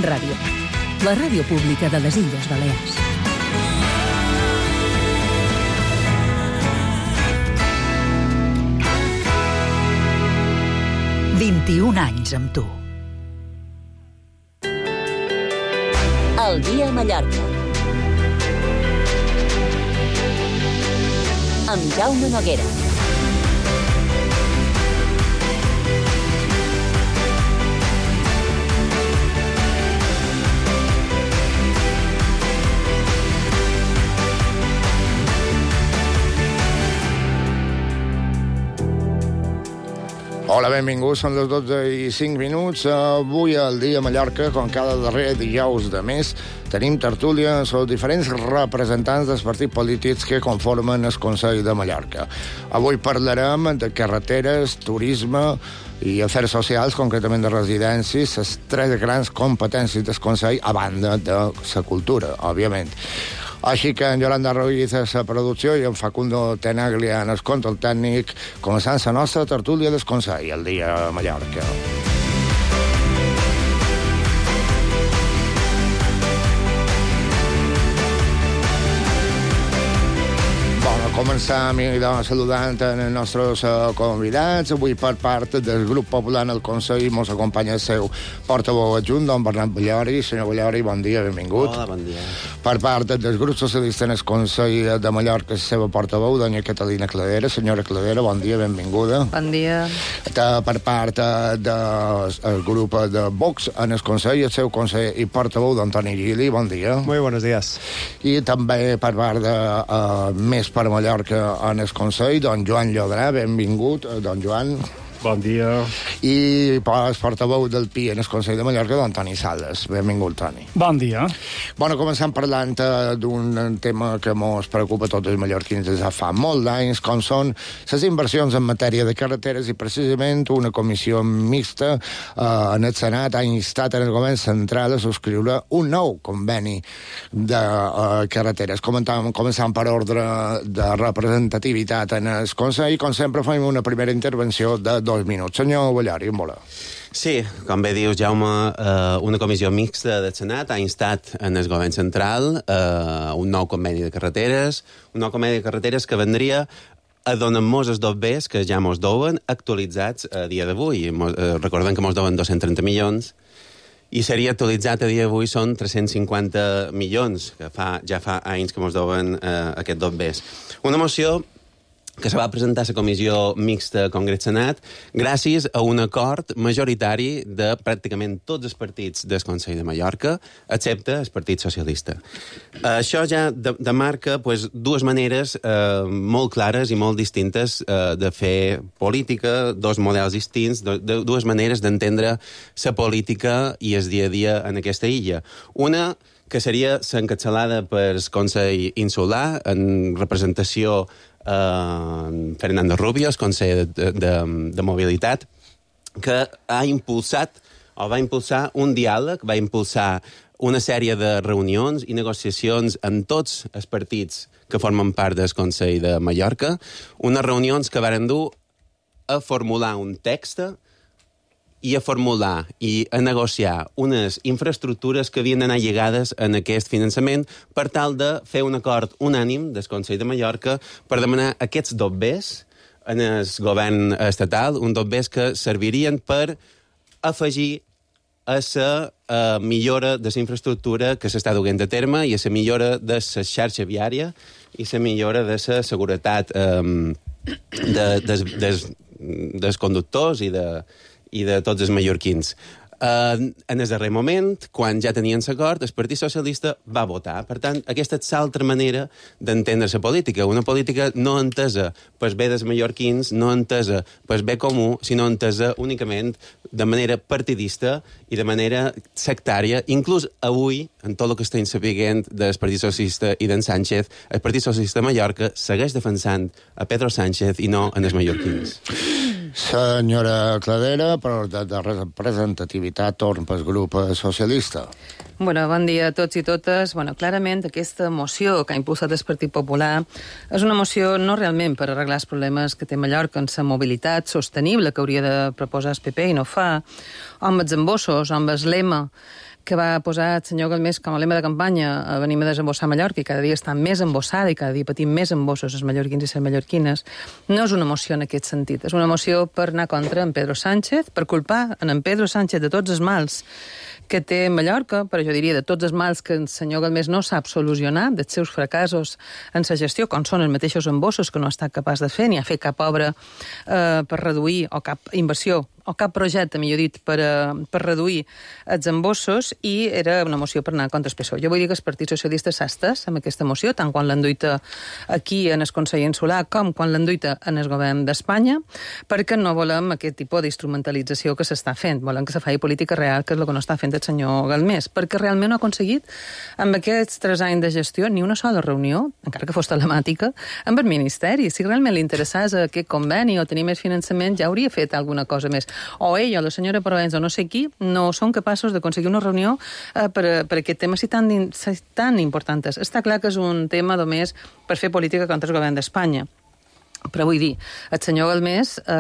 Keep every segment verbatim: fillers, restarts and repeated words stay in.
Ràdio, la ràdio pública de les Illes Balears. vint-i-un anys amb tu. El dia a Mallorca. Amb Jaume Noguera. Hola, benvinguts, són les dotze i cinc minuts. Avui al dia a Mallorca, com cada darrer dijous de mes, tenim tertúlia sobre diferents representants dels partits polítics que conformen el Consell de Mallorca. Avui parlarem de carreteres, turisme i afers socials, concretament de residències, les tres grans competències del Consell, a banda de la cultura, òbviament. Així que en Yolanda Ruiz a la producció i en Facundo Tenaglia en el control tècnic, començant la nostra tertúlia del Consell, el dia a Mallorca. Començam saludant els nostres convidats. Avui, per part del grup popular en el Consell, ens acompanya el seu portaveu adjunt, don Bernat Ballori. Senyor Ballori, bon dia, benvingut. Hola, bon dia. Per part del grup socialista en el Consell de Mallorca, la seva portaveu, doña Catalina Cladera. Senyora Cladera, bon dia, benvinguda. Bon dia. Per part del grup de Vox en el Consell, el seu conseller i portaveu, don Toni Gili, bon dia. Muy buenos días. I també per part de uh, Més per Mallorca en el Consell, don Joan Llodrà, benvingut, don Joan. Bon dia. I el portaveu del P I en el Consell de Mallorca, don Toni Sales. Benvingut, Toni. Bon dia. Bueno, començant parlant d'un tema que ens preocupa a tots els mallorquins des de fa molt d'anys, com són les inversions en matèria de carreteres, i precisament una comissió mixta eh, en el Senat ha instat en el govern central a subscriure un nou conveni de eh, carreteres. Comentàvem, començant per ordre de representativitat en el Consell, com sempre fem una primera intervenció de dos minuts. Senyor Ballori, en vola. Sí, com bé dius, Jaume, eh, una comissió mixta del Senat ha instat en el govern central eh, un nou conveni de carreteres, un nou conveni de carreteres que vendria a donar-nos els dos bés que ja mos deuen actualitzats a dia d'avui. Eh, recordem que mos deuen dos-cents trenta milions i seria actualitzat a dia d'avui són tres-cents cinquanta milions, que fa, ja fa anys que mos deuen eh, aquests dos bés. Una moció que se va presentar a la comissió mixta Congrés-Senat gràcies a un acord majoritari de pràcticament tots els partits del Consell de Mallorca, excepte el Partit Socialista. Això ja demarca pues, dues maneres eh, molt clares i molt distintes eh, de fer política, dos models distints, de, de, dues maneres d'entendre la política i el dia a dia en aquesta illa. Una que seria l'encapçalada per el Consell Insular en representació Uh, Fernando Rubio, el conseller de, de, de Mobilitat, que ha impulsat o va impulsar un diàleg, va impulsar una sèrie de reunions i negociacions amb tots els partits que formen part del Consell de Mallorca, unes reunions que varen dur a formular un text i a formular i a negociar unes infraestructures que havien d'anar lligades en aquest finançament per tal de fer un acord unànim del Consell de Mallorca per demanar aquests dos bés en el govern estatal, un dos bés que servirien per afegir a la uh, millora de la infraestructura que s'està duent a terme i a la millora de la xarxa viària i la millora de la seguretat um, de, des, des, dels conductors i de i de tots els mallorquins. Uh, en el darrer moment, quan ja tenien l'acord, el Partit Socialista va votar. Per tant, aquesta és l'altra manera d'entendre la política. Una política no entesa pel bé dels mallorquins, no entesa pel bé comú, sinó entesa únicament de manera partidista i de manera sectària. Inclús avui, en tot el que estem sapiguent del Partit Socialista i d'en Sánchez, el Partit Socialista de Mallorca segueix defensant a Pedro Sánchez i no en els mallorquins. Senyora Cladera, per de, de representativitat, torn pel grup socialista. Bueno, bon dia a tots i totes. Bueno, clarament, aquesta moció que ha impulsat el Partit Popular és una moció no realment per arreglar els problemes que té Mallorca en la mobilitat sostenible que hauria de proposar el P P i no fa, o amb els embossos, o amb el lema que va posar el senyor Galmés com a lema de campanya a venim a desembossar Mallorca i cada dia està més embossada i cada dia patim més embossos els mallorquins i les mallorquines, no és una moció en aquest sentit. És una moció per anar contra en Pedro Sánchez, per culpar en en Pedro Sánchez de tots els mals que té Mallorca, però jo diria de tots els mals que el senyor Galmés no sap solucionar, dels seus fracassos en sa gestió, com són els mateixos embossos que no ha estat capaç de fer, ni ha fet cap obra eh, per reduir, o cap inversió, o cap projecte, millor dit, per, uh, per reduir els embossos, i era una moció per anar contra el P S O E. Jo vull dir que el Partit Socialista s'ha estès amb aquesta moció, tant quan l'enduita aquí en el Consell Insular com quan l'enduita en el govern d'Espanya, perquè no volem aquest tipus d'instrumentalització que s'està fent. Volem que se faci política real, que és el que no està fent el senyor Galmés, perquè realment no ha aconseguit, amb aquests tres anys de gestió, ni una sola reunió, encara que fos telemàtica, amb el Ministeri. Si realment li interessés aquest conveni o tenir més finançament, ja hauria fet alguna cosa més. O ella, o la senyora Provenç, o no sé qui, no són capaços d'aconseguir una reunió eh, per, per aquest tema si tan, si tan importants. Està clar que és un tema només per fer política contra el govern d'Espanya. Però vull dir, el senyor Galmés, eh,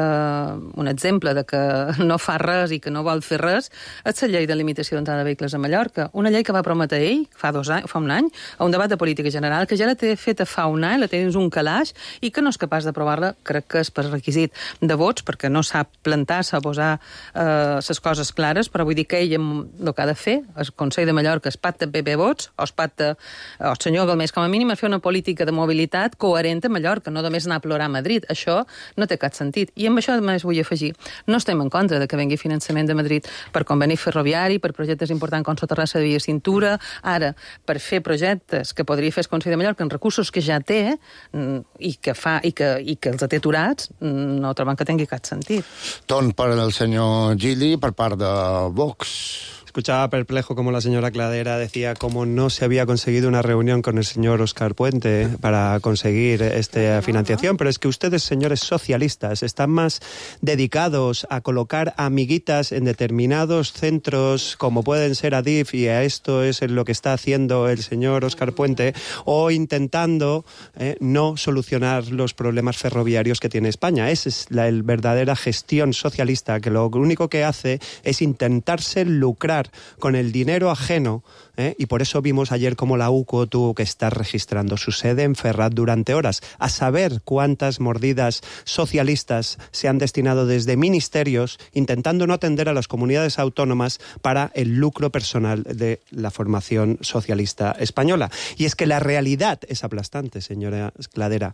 un exemple de que no fa res i que no vol fer res, és la llei de limitació d'entrada de vehicles a Mallorca. Una llei que va prometre ell fa, dos anys, fa un any, a un debat de política general, que ja la té feta fa un any, la té dins un calaix, i que no és capaç d'aprovar-la, crec que és per requisit de vots, perquè no sap plantar-se a posar les eh, coses clares, però vull dir que ell el que ha de fer, el Consell de Mallorca, es pacta P P vots, o es pacta el senyor Galmés, com a mínim, a fer una política de mobilitat coherent a Mallorca, no només anar a plorar a Madrid. Això no té cap sentit. I amb això només vull afegir. No estem en contra de que vengui finançament de Madrid per conveni ferroviari, per projectes importants com Soterrassa de Via Cintura, ara, per fer projectes que podria fer el Consell de Mallorca amb recursos que ja té i que, fa, i que, i que els té aturats, no troben que tingui cap sentit. Torn per el senyor Gili per part de Vox. Escuchaba perplejo como la señora Cladera decía cómo no se había conseguido una reunión con el señor Óscar Puente para conseguir esta financiación, pero es que ustedes, señores socialistas, están más dedicados a colocar amiguitas en determinados centros como pueden ser Adif, y a esto es lo que está haciendo el señor Óscar Puente, o intentando eh, no solucionar los problemas ferroviarios que tiene España. Esa es la el verdadera gestión socialista, que lo único que hace es intentarse lucrar con el dinero ajeno, ¿eh? Y por eso vimos ayer cómo la U C O tuvo que estar registrando su sede en Ferraz durante horas, a saber cuántas mordidas socialistas se han destinado desde ministerios intentando no atender a las comunidades autónomas para el lucro personal de la formación socialista española. Y es que la realidad es aplastante, señora Cladera.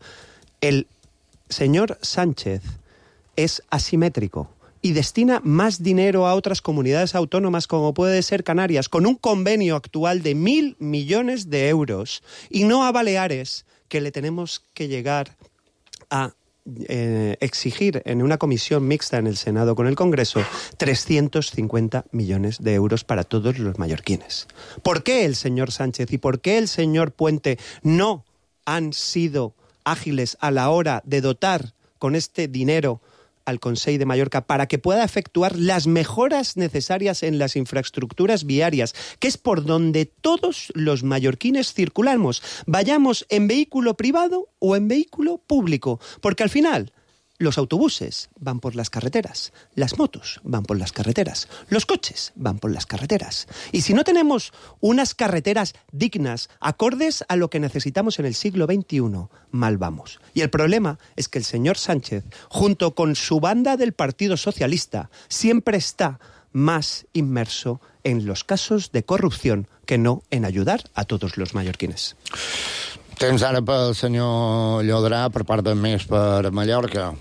El señor Sánchez es asimétrico y destina más dinero a otras comunidades autónomas como puede ser Canarias, con un convenio actual de mil millones de euros, y no a Baleares, que le tenemos que llegar a eh, exigir en una comisión mixta en el Senado con el Congreso trescientos cincuenta millones de euros para todos los mallorquines. ¿Por qué el señor Sánchez y por qué el señor Puente no han sido ágiles a la hora de dotar con este dinero al Consell de Mallorca para que pueda efectuar las mejoras necesarias en las infraestructuras viarias, que es por donde todos los mallorquines circulamos, vayamos en vehículo privado o en vehículo público? Porque al final los autobuses van por las carreteras, las motos van por las carreteras, los coches van por las carreteras. Y si no tenemos unas carreteras dignas, acordes a lo que necesitamos en el siglo veintiuno, mal vamos. Y el problema es que el señor Sánchez, junto con su banda del Partido Socialista, siempre está más inmerso en los casos de corrupción que no en ayudar a todos los mallorquines. Temps ara pel senyor Llodrà per part de Més per Mallorca.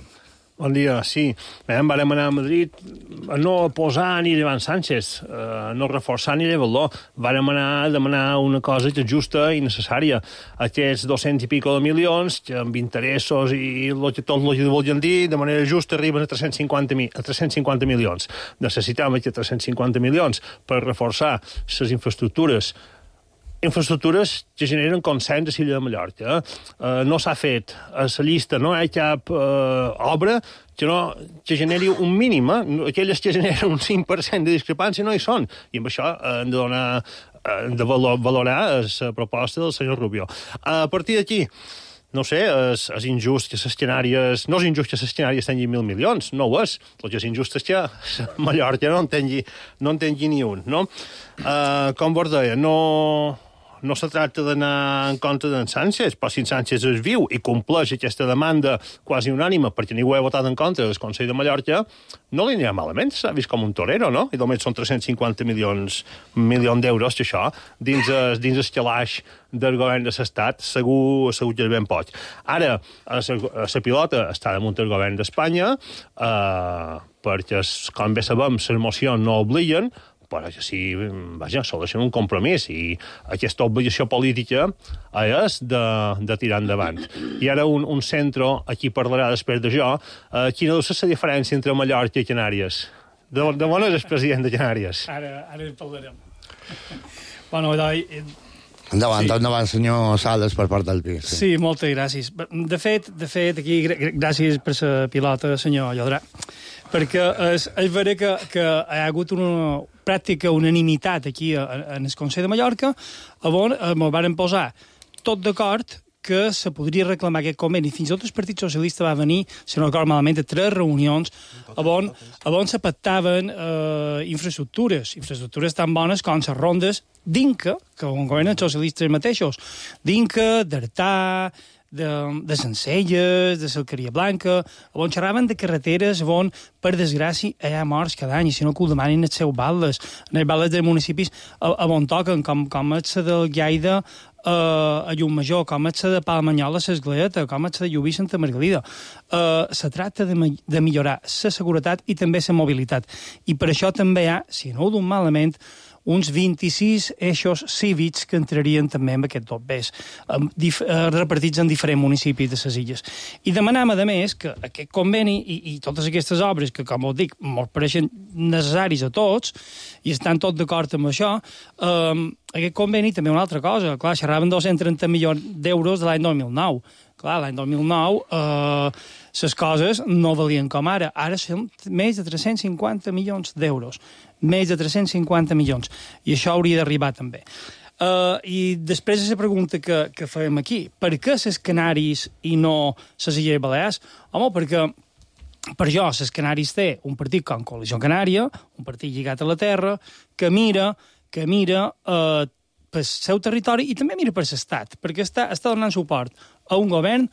Bon dia, sí. Bé, vam anar a Madrid a no posar ni llevant Sánchez, a no reforçar ni llevar-lo. Vam anar a demanar una cosa que és justa i necessària. Aquests dos-cents i pico de milions, que amb interessos i el que tot el que volien dir, de manera justa arriben a tres-cents cinquanta, a tres-cents cinquanta milions. Necessitem aquests tres-cents cinquanta milions per reforçar les infraestructures infraestructures que generen consens a l'illa de Mallorca. Eh, no s'ha fet a la llista, no hi ha cap eh, obra que, no, que generi un mínim. Eh? Aquelles que generen un cinc per cent de discrepància no hi són. I amb això eh, hem de donar, hem de valorar la proposta del senyor Rubio. A partir d'aquí, no sé, és, és injust que les Canàries... No és injust que les Canàries tinguin mil milions, no ho és. El que és injust és que Mallorca no en tingui, no en tingui ni un, no? Uh, com vos deia, no... No se tracta d'anar en contra d'en Sánchez, però si en Sánchez es viu i compleix aquesta demanda quasi unànima perquè ningú ha votat en contra del Consell de Mallorca, no li anirà malament, s'ha vist com un torero, no? I només són tres-cents cinquanta milions, milions d'euros, que això, dins el, dins el calaix del govern de l'Estat, segur, segur que és ben poc. Ara, la pilota està damunt del govern d'Espanya, eh, perquè, com bé sabem, les mocions no obliguen, però que sí, vaja, s'ha un compromís i aquesta obligació política és de, de tirar endavant. I ara un, un centre, aquí parlarà després d'això, eh, quina deu ser la diferència entre Mallorca i Canàries? De, de on és el president de Canàries? Ara, ara en parlarem. Bueno, doncs... Endavant, sí. endavant, senyor Sales, per part del pis. Sí. sí, moltes gràcies. De fet, de fet aquí, gràcies per la pilota, senyor Llodrà, perquè és, és vera que, que hi ha hagut una pràctica unanimitat aquí en el Consell de Mallorca, on ens van posar tot d'acord que se podria reclamar aquest conveni. Fins i tot el Partit Socialista va venir, si no recordo malament, a tres reunions on, on se pactaven eh, infraestructures, infraestructures tan bones com les rondes d'Inca, que on governen els socialistes mateixos, d'Inca, d'Artà, de, de Sencelles, de Salcaria Blanca, on xerraven de carreteres on, per desgràcia, hi ha morts cada any, i si no que ho demanin els seus baldes, en els baldes dels municipis on toquen, com, com és la del Lleida, Uh, a Llumajor, com és la de Palmanyola, l'Esgleeta, com és la de Llubí, Santa Margalida. Uh, se tracta de, de millorar la seguretat i també la mobilitat. I per això també hi ha, si no ho d'un malament, uns vint-i-sis eixos cívics que entrarien també en aquest dobbers, um, dif uh, repartits en diferents municipis de les illes. I demanam, a més, que aquest conveni i, i totes aquestes obres, que, com us dic, ens pareixen necessaris a tots, i estan tots d'acord amb això, um, aquest conveni també una altra cosa. Clar, xerraven dos-cents trenta milions d'euros de l'any dos mil nou. Clar, l'any dos mil nou eh, les coses no valien com ara. Ara són més de tres-cents cinquanta milions d'euros. Més de tres-cents cinquanta milions. I això hauria d'arribar també. Uh, I després de la pregunta que, que fem aquí, per què les Canàries i no les Illes Balears? Home, perquè per jo les Canàries té un partit com Coalició Canària, un partit lligat a la terra, que mira que mira eh, pel seu territori i també mira per l'estat, perquè està, està donant suport a un govern,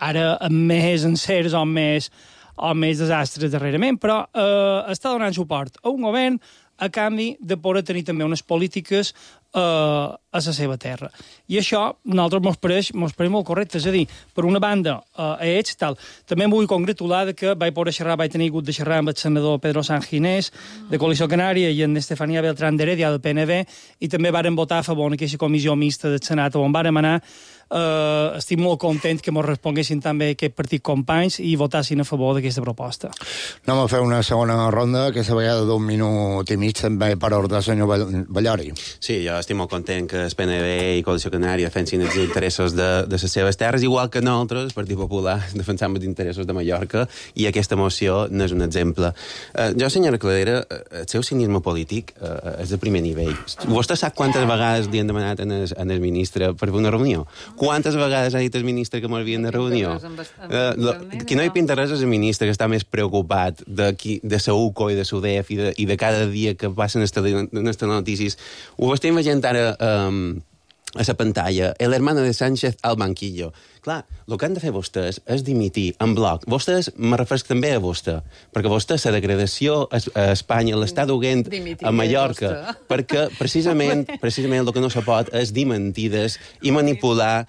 ara amb més encerts o més, o més desastres darrerament, però eh, està donant suport a un govern a canvi de poder tenir també unes polítiques eh, a la seva terra. I això, nosaltres mos pareix, mos pareix molt correcte. És a dir, per una banda, eh, a ells, tal. També em vull congratular de que vaig poder xerrar, vaig tenir hagut de xerrar amb el senador Pedro Sanginés, de Coalició Canària, i en Estefania Beltrán d'Heredia, del P N V, i també varen votar a favor en aquesta comissió mixta del Senat, on vàrem anar. Uh, estic molt content que ens responguessin també aquest partit companys i votassin a favor d'aquesta proposta. Anem a fer una segona ronda, aquesta vegada d'un minut i mig també per ordre, senyor Ballori. Sí, jo estic molt content que el P N V i Coalició Canària defensin els interessos de, de les seves terres, igual que nosaltres, el Partit Popular, defensam els interessos de Mallorca, i aquesta moció n'és un exemple. Uh, jo, senyora Cladera, el seu cinisme polític uh, és de primer nivell. Vostè sap quantes vegades li han demanat en el, en el ministre per fer una reunió? Quantes vegades ha dit el ministre que m'havien de reunió? Uh, qui no hi pinta res és el ministre, que està més preocupat de, qui, de la U C O i de l'U D E F i de, i de cada dia que passen les notícies. Ho estem veient ara um, a la pantalla. El hermano de Sánchez al banquillo. Clar, el que han de fer vostès és dimitir en bloc. Vostès, me refereix també a vostè, perquè vostè, la degradació a Espanya l'està duent a Mallorca, perquè precisament, precisament el que no se pot és dir mentides i manipular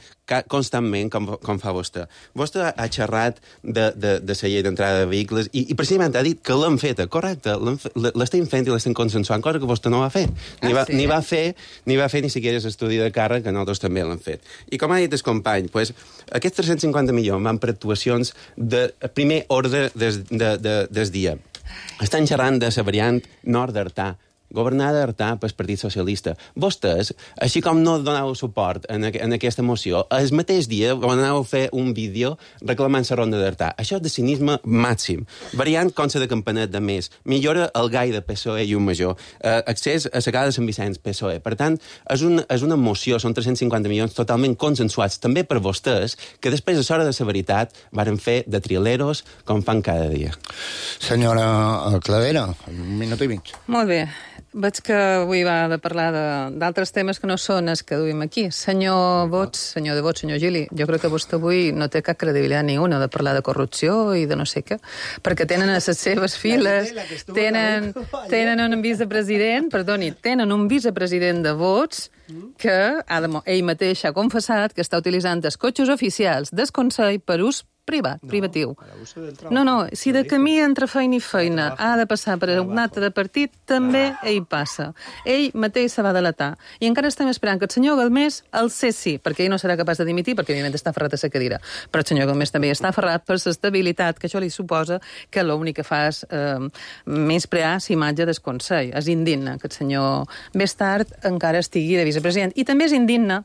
constantment, com, com fa vostè. Vostè ha xerrat de, de, de la llei d'entrada de vehicles i, i precisament ha dit que l'han feta, correcte, l'estem fent i l'estem consensuant, cosa que vostè no va fer. Ni va, ah, sí? ni va fer ni va fer ni siquiera l'estudi de càrrec, que nosaltres també l'hem fet. I com ha dit el company, pues, aquests tres-cents cinquanta milions van per actuacions de primer ordre des, de, de, des dia. Estan xerrant de la variant nord d'Artà, governada d'Artà pel Partit Socialista. Vostès, així com no donàveu suport en, en aquesta moció, el mateix dia van anar a fer un vídeo reclamant la ronda d'Artà. Això és de cinisme màxim. Variant com la de Campanet de Més. Millora el gai de P S O E i un major. Eh, accés a la casa de Sant Vicenç, P S O E. Per tant, és, un, és una moció, són tres-cents cinquanta milions totalment consensuats, també per vostès, que després, a l'hora de la veritat, varen fer de trileros com fan cada dia. Senyora Cladera, un minut i mig. Molt bé. Veig que avui va de parlar d'altres temes que no són els que duim aquí. Senyor Vots, senyor de Vots, senyor Gili, jo crec que vostè avui no té cap credibilitat ni una de parlar de corrupció i de no sé què, perquè tenen a les seves files, tenen, tenen un vicepresident, perdoni, tenen un vicepresident de Vots que ell mateix ha confessat que està utilitzant els cotxes oficials del Consell per ús privat, no, privatiu. No, no, si de camí entre feina i feina ha de passar per un acte de partit, també ell passa. Ell mateix se va delatar. I encara estem esperant que el senyor Galmés el cessi, perquè ell no serà capaç de dimitir, perquè evidentment està aferrat a la cadira. Però el senyor Galmés també està aferrat per l'estabilitat, que això li suposa que l'únic que fa és eh, menysprear l'imatge del Consell. És indigne que el senyor més tard encara estigui de vicepresident. I també és indigne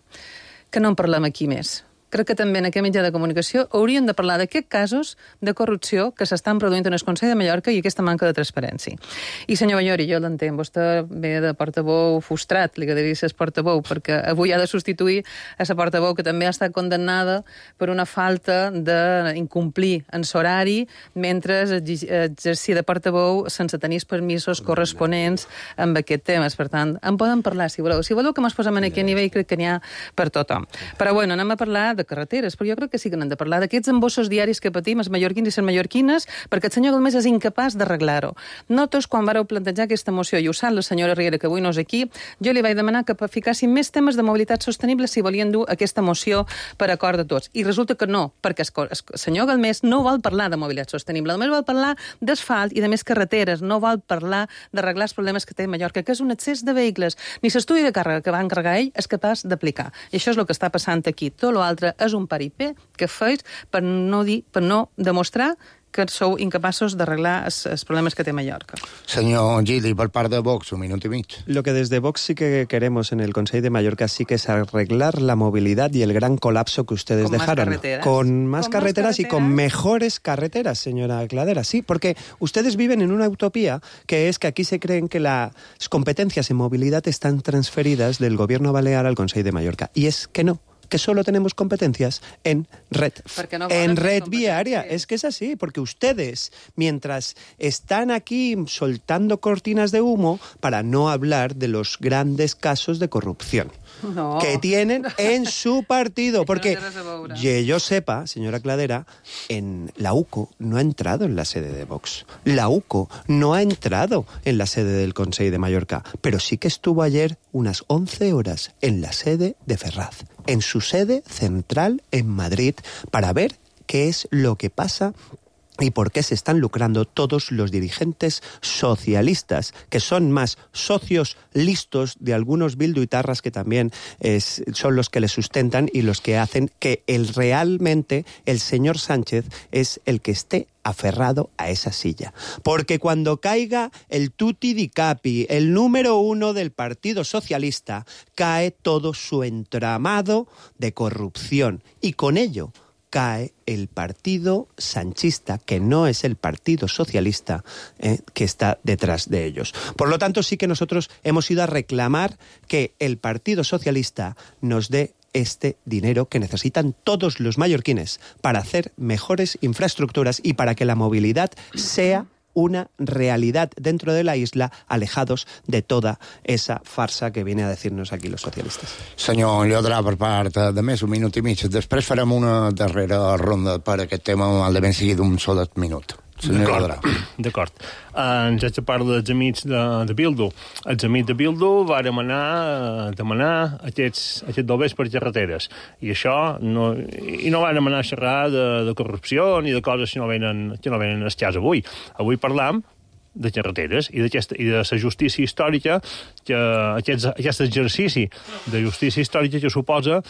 que no en parlem aquí més. Crec que també en aquest mitjà de comunicació hauríem de parlar d'aquests casos de corrupció que s'estan produint en el Consell de Mallorca i aquesta manca de transparència. I senyor Ballori, jo l'entenc, vostè ve de portaveu frustrat, li agradaria ser portaveu, perquè avui ha de substituir a la portaveu que també ha estat condemnada per una falta d'incomplir en l'horari mentre exercia de portaveu sense tenir els permisos corresponents amb aquest temes. Per tant, en poden parlar, si voleu. Si voleu que ens posem en aquest nivell, crec que n'hi ha per tothom. Però bueno, anem a parlar de carreteres, però jo crec que sí que n'hem de parlar d'aquests embossos diaris que patim els mallorquins i les mallorquines, perquè el senyor Galmés és incapaç d'arreglar-ho. Nosaltres, quan vareu plantejar aquesta moció, i ho sap la senyora Riera, que avui no és aquí, jo li vaig demanar que ficassin més temes de mobilitat sostenible si volien dur aquesta moció per acord de tots. I resulta que no, perquè el senyor Galmés no vol parlar de mobilitat sostenible, només vol parlar d'asfalt i de més carreteres, no vol parlar d'arreglar els problemes que té Mallorca, que és un excés de vehicles. Ni l'estudi de càrrega que va encarregar ell és capaç d'aplicar. I això és el que està passant aquí. Tot l'altre és un paripé que feis per no dir, per no demostrar que sou incapaços d'arreglar els, els problemes que té Mallorca. Señor Gili, por parte de Vox, un minuto y medio. Lo que desde Vox sí que queremos en el Consejo de Mallorca sí que es arreglar la movilidad y el gran colapso que ustedes con dejaron. Más carreteras. Con más ¿Con carreteras más y con mejores carreteras, señora Cladera. Sí, porque ustedes viven en una utopía que es que aquí se creen que las competencias en movilidad están transferidas del gobierno balear al Consejo de Mallorca. Y es que no. Que solo tenemos competencias en red, no en red viaria. Es que es así, porque ustedes, mientras están aquí soltando cortinas de humo, para no hablar de los grandes casos de corrupción no. que tienen en su partido. Porque, que yo sepa, señora Cladera, en la U C O no ha entrado en la sede de Vox. La U C O no ha entrado en la sede del Consell de Mallorca, pero sí que estuvo ayer unas once horas en la sede de Ferraz, en su sede central en Madrid, para ver qué es lo que pasa y por qué se están lucrando todos los dirigentes socialistas, que son más socios listos de algunos bilduitarras que también es, son los que le sustentan y los que hacen que el, realmente el señor Sánchez es el que esté aferrado a esa silla. Porque cuando caiga el tutti di capi, el número uno del Partido Socialista, cae todo su entramado de corrupción. Y con ello cae el partido sanchista, que no es el partido socialista eh, que está detrás de ellos. Por lo tanto, sí que nosotros hemos ido a reclamar que el Partido Socialista nos dé este dinero que necesitan todos los mallorquines para hacer mejores infraestructuras y para que la movilidad sea una realidad dentro de la isla, alejados de toda esa farsa que viene a decirnos aquí los socialistes. Senyor Llodrà, per part de més un minut i mig. Després farem una darrera ronda per aquest tema, mal de ben sigui d'un sol minut. D'acord, d'acord. Uh, ens haig de parlar dels amics de, de Bildu. Els amics de Bildu vàrem anar a demanar aquests, aquests doblers per carreteres. I això no, i no vàrem anar a xerrar de, de corrupció ni de coses que no venen, que no venen al cas avui. Avui parlam de carreteres i, i de la justícia històrica, que aquest, aquest exercici de justícia històrica que suposa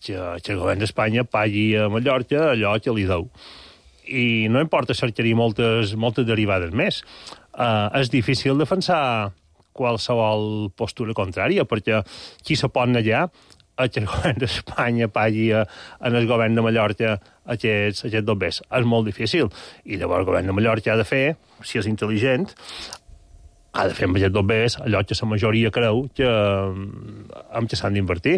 que, que el govern d'Espanya pagui a Mallorca allò que li deu. I no importa cercar-hi moltes, moltes derivades més. Uh, és difícil defensar qualsevol postura contrària, perquè qui se pot negar a que el govern d'Espanya pagui en el govern de Mallorca aquests, aquests dobbers. És molt difícil. I llavors el govern de Mallorca ha de fer, si és intel·ligent, ha de fer amb aquests dobbers allò que la majoria creu que, amb què s'han d'invertir.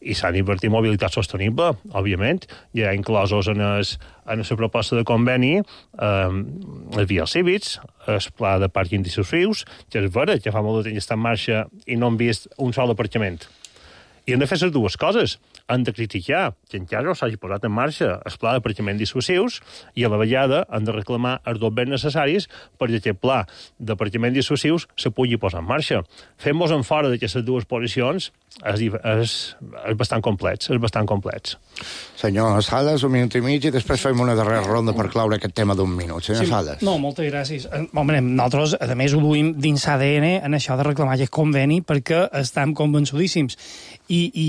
I s'han d'invertir en mobilitat sostenible, òbviament. Hi ha inclosos en el, en la proposta de conveni eh, els vials cívics, el pla de pàrquing de sus rius, que és vera que fa molt de temps està en marxa i no han vist un sol aparcament. I han de fer les dues coses. Han de criticar que encara no s'hagi posat en marxa el pla d'aparcament dissuasius i a la vegada han de reclamar els dobbers necessaris perquè aquest pla d'aparcament dissuasius se pugui posar en marxa. Fem-nos en fora d'aquestes dues posicions és, és, és bastant complets, és bastant complets. Senyor Sales, un minut i mig i després fem una darrera ronda per claure aquest tema d'un minut. Senyor sí, Sales. No, moltes gràcies. Home, nosaltres, a més, ho duim dins A D N en això de reclamar aquest conveni perquè estem convençudíssims. I, i,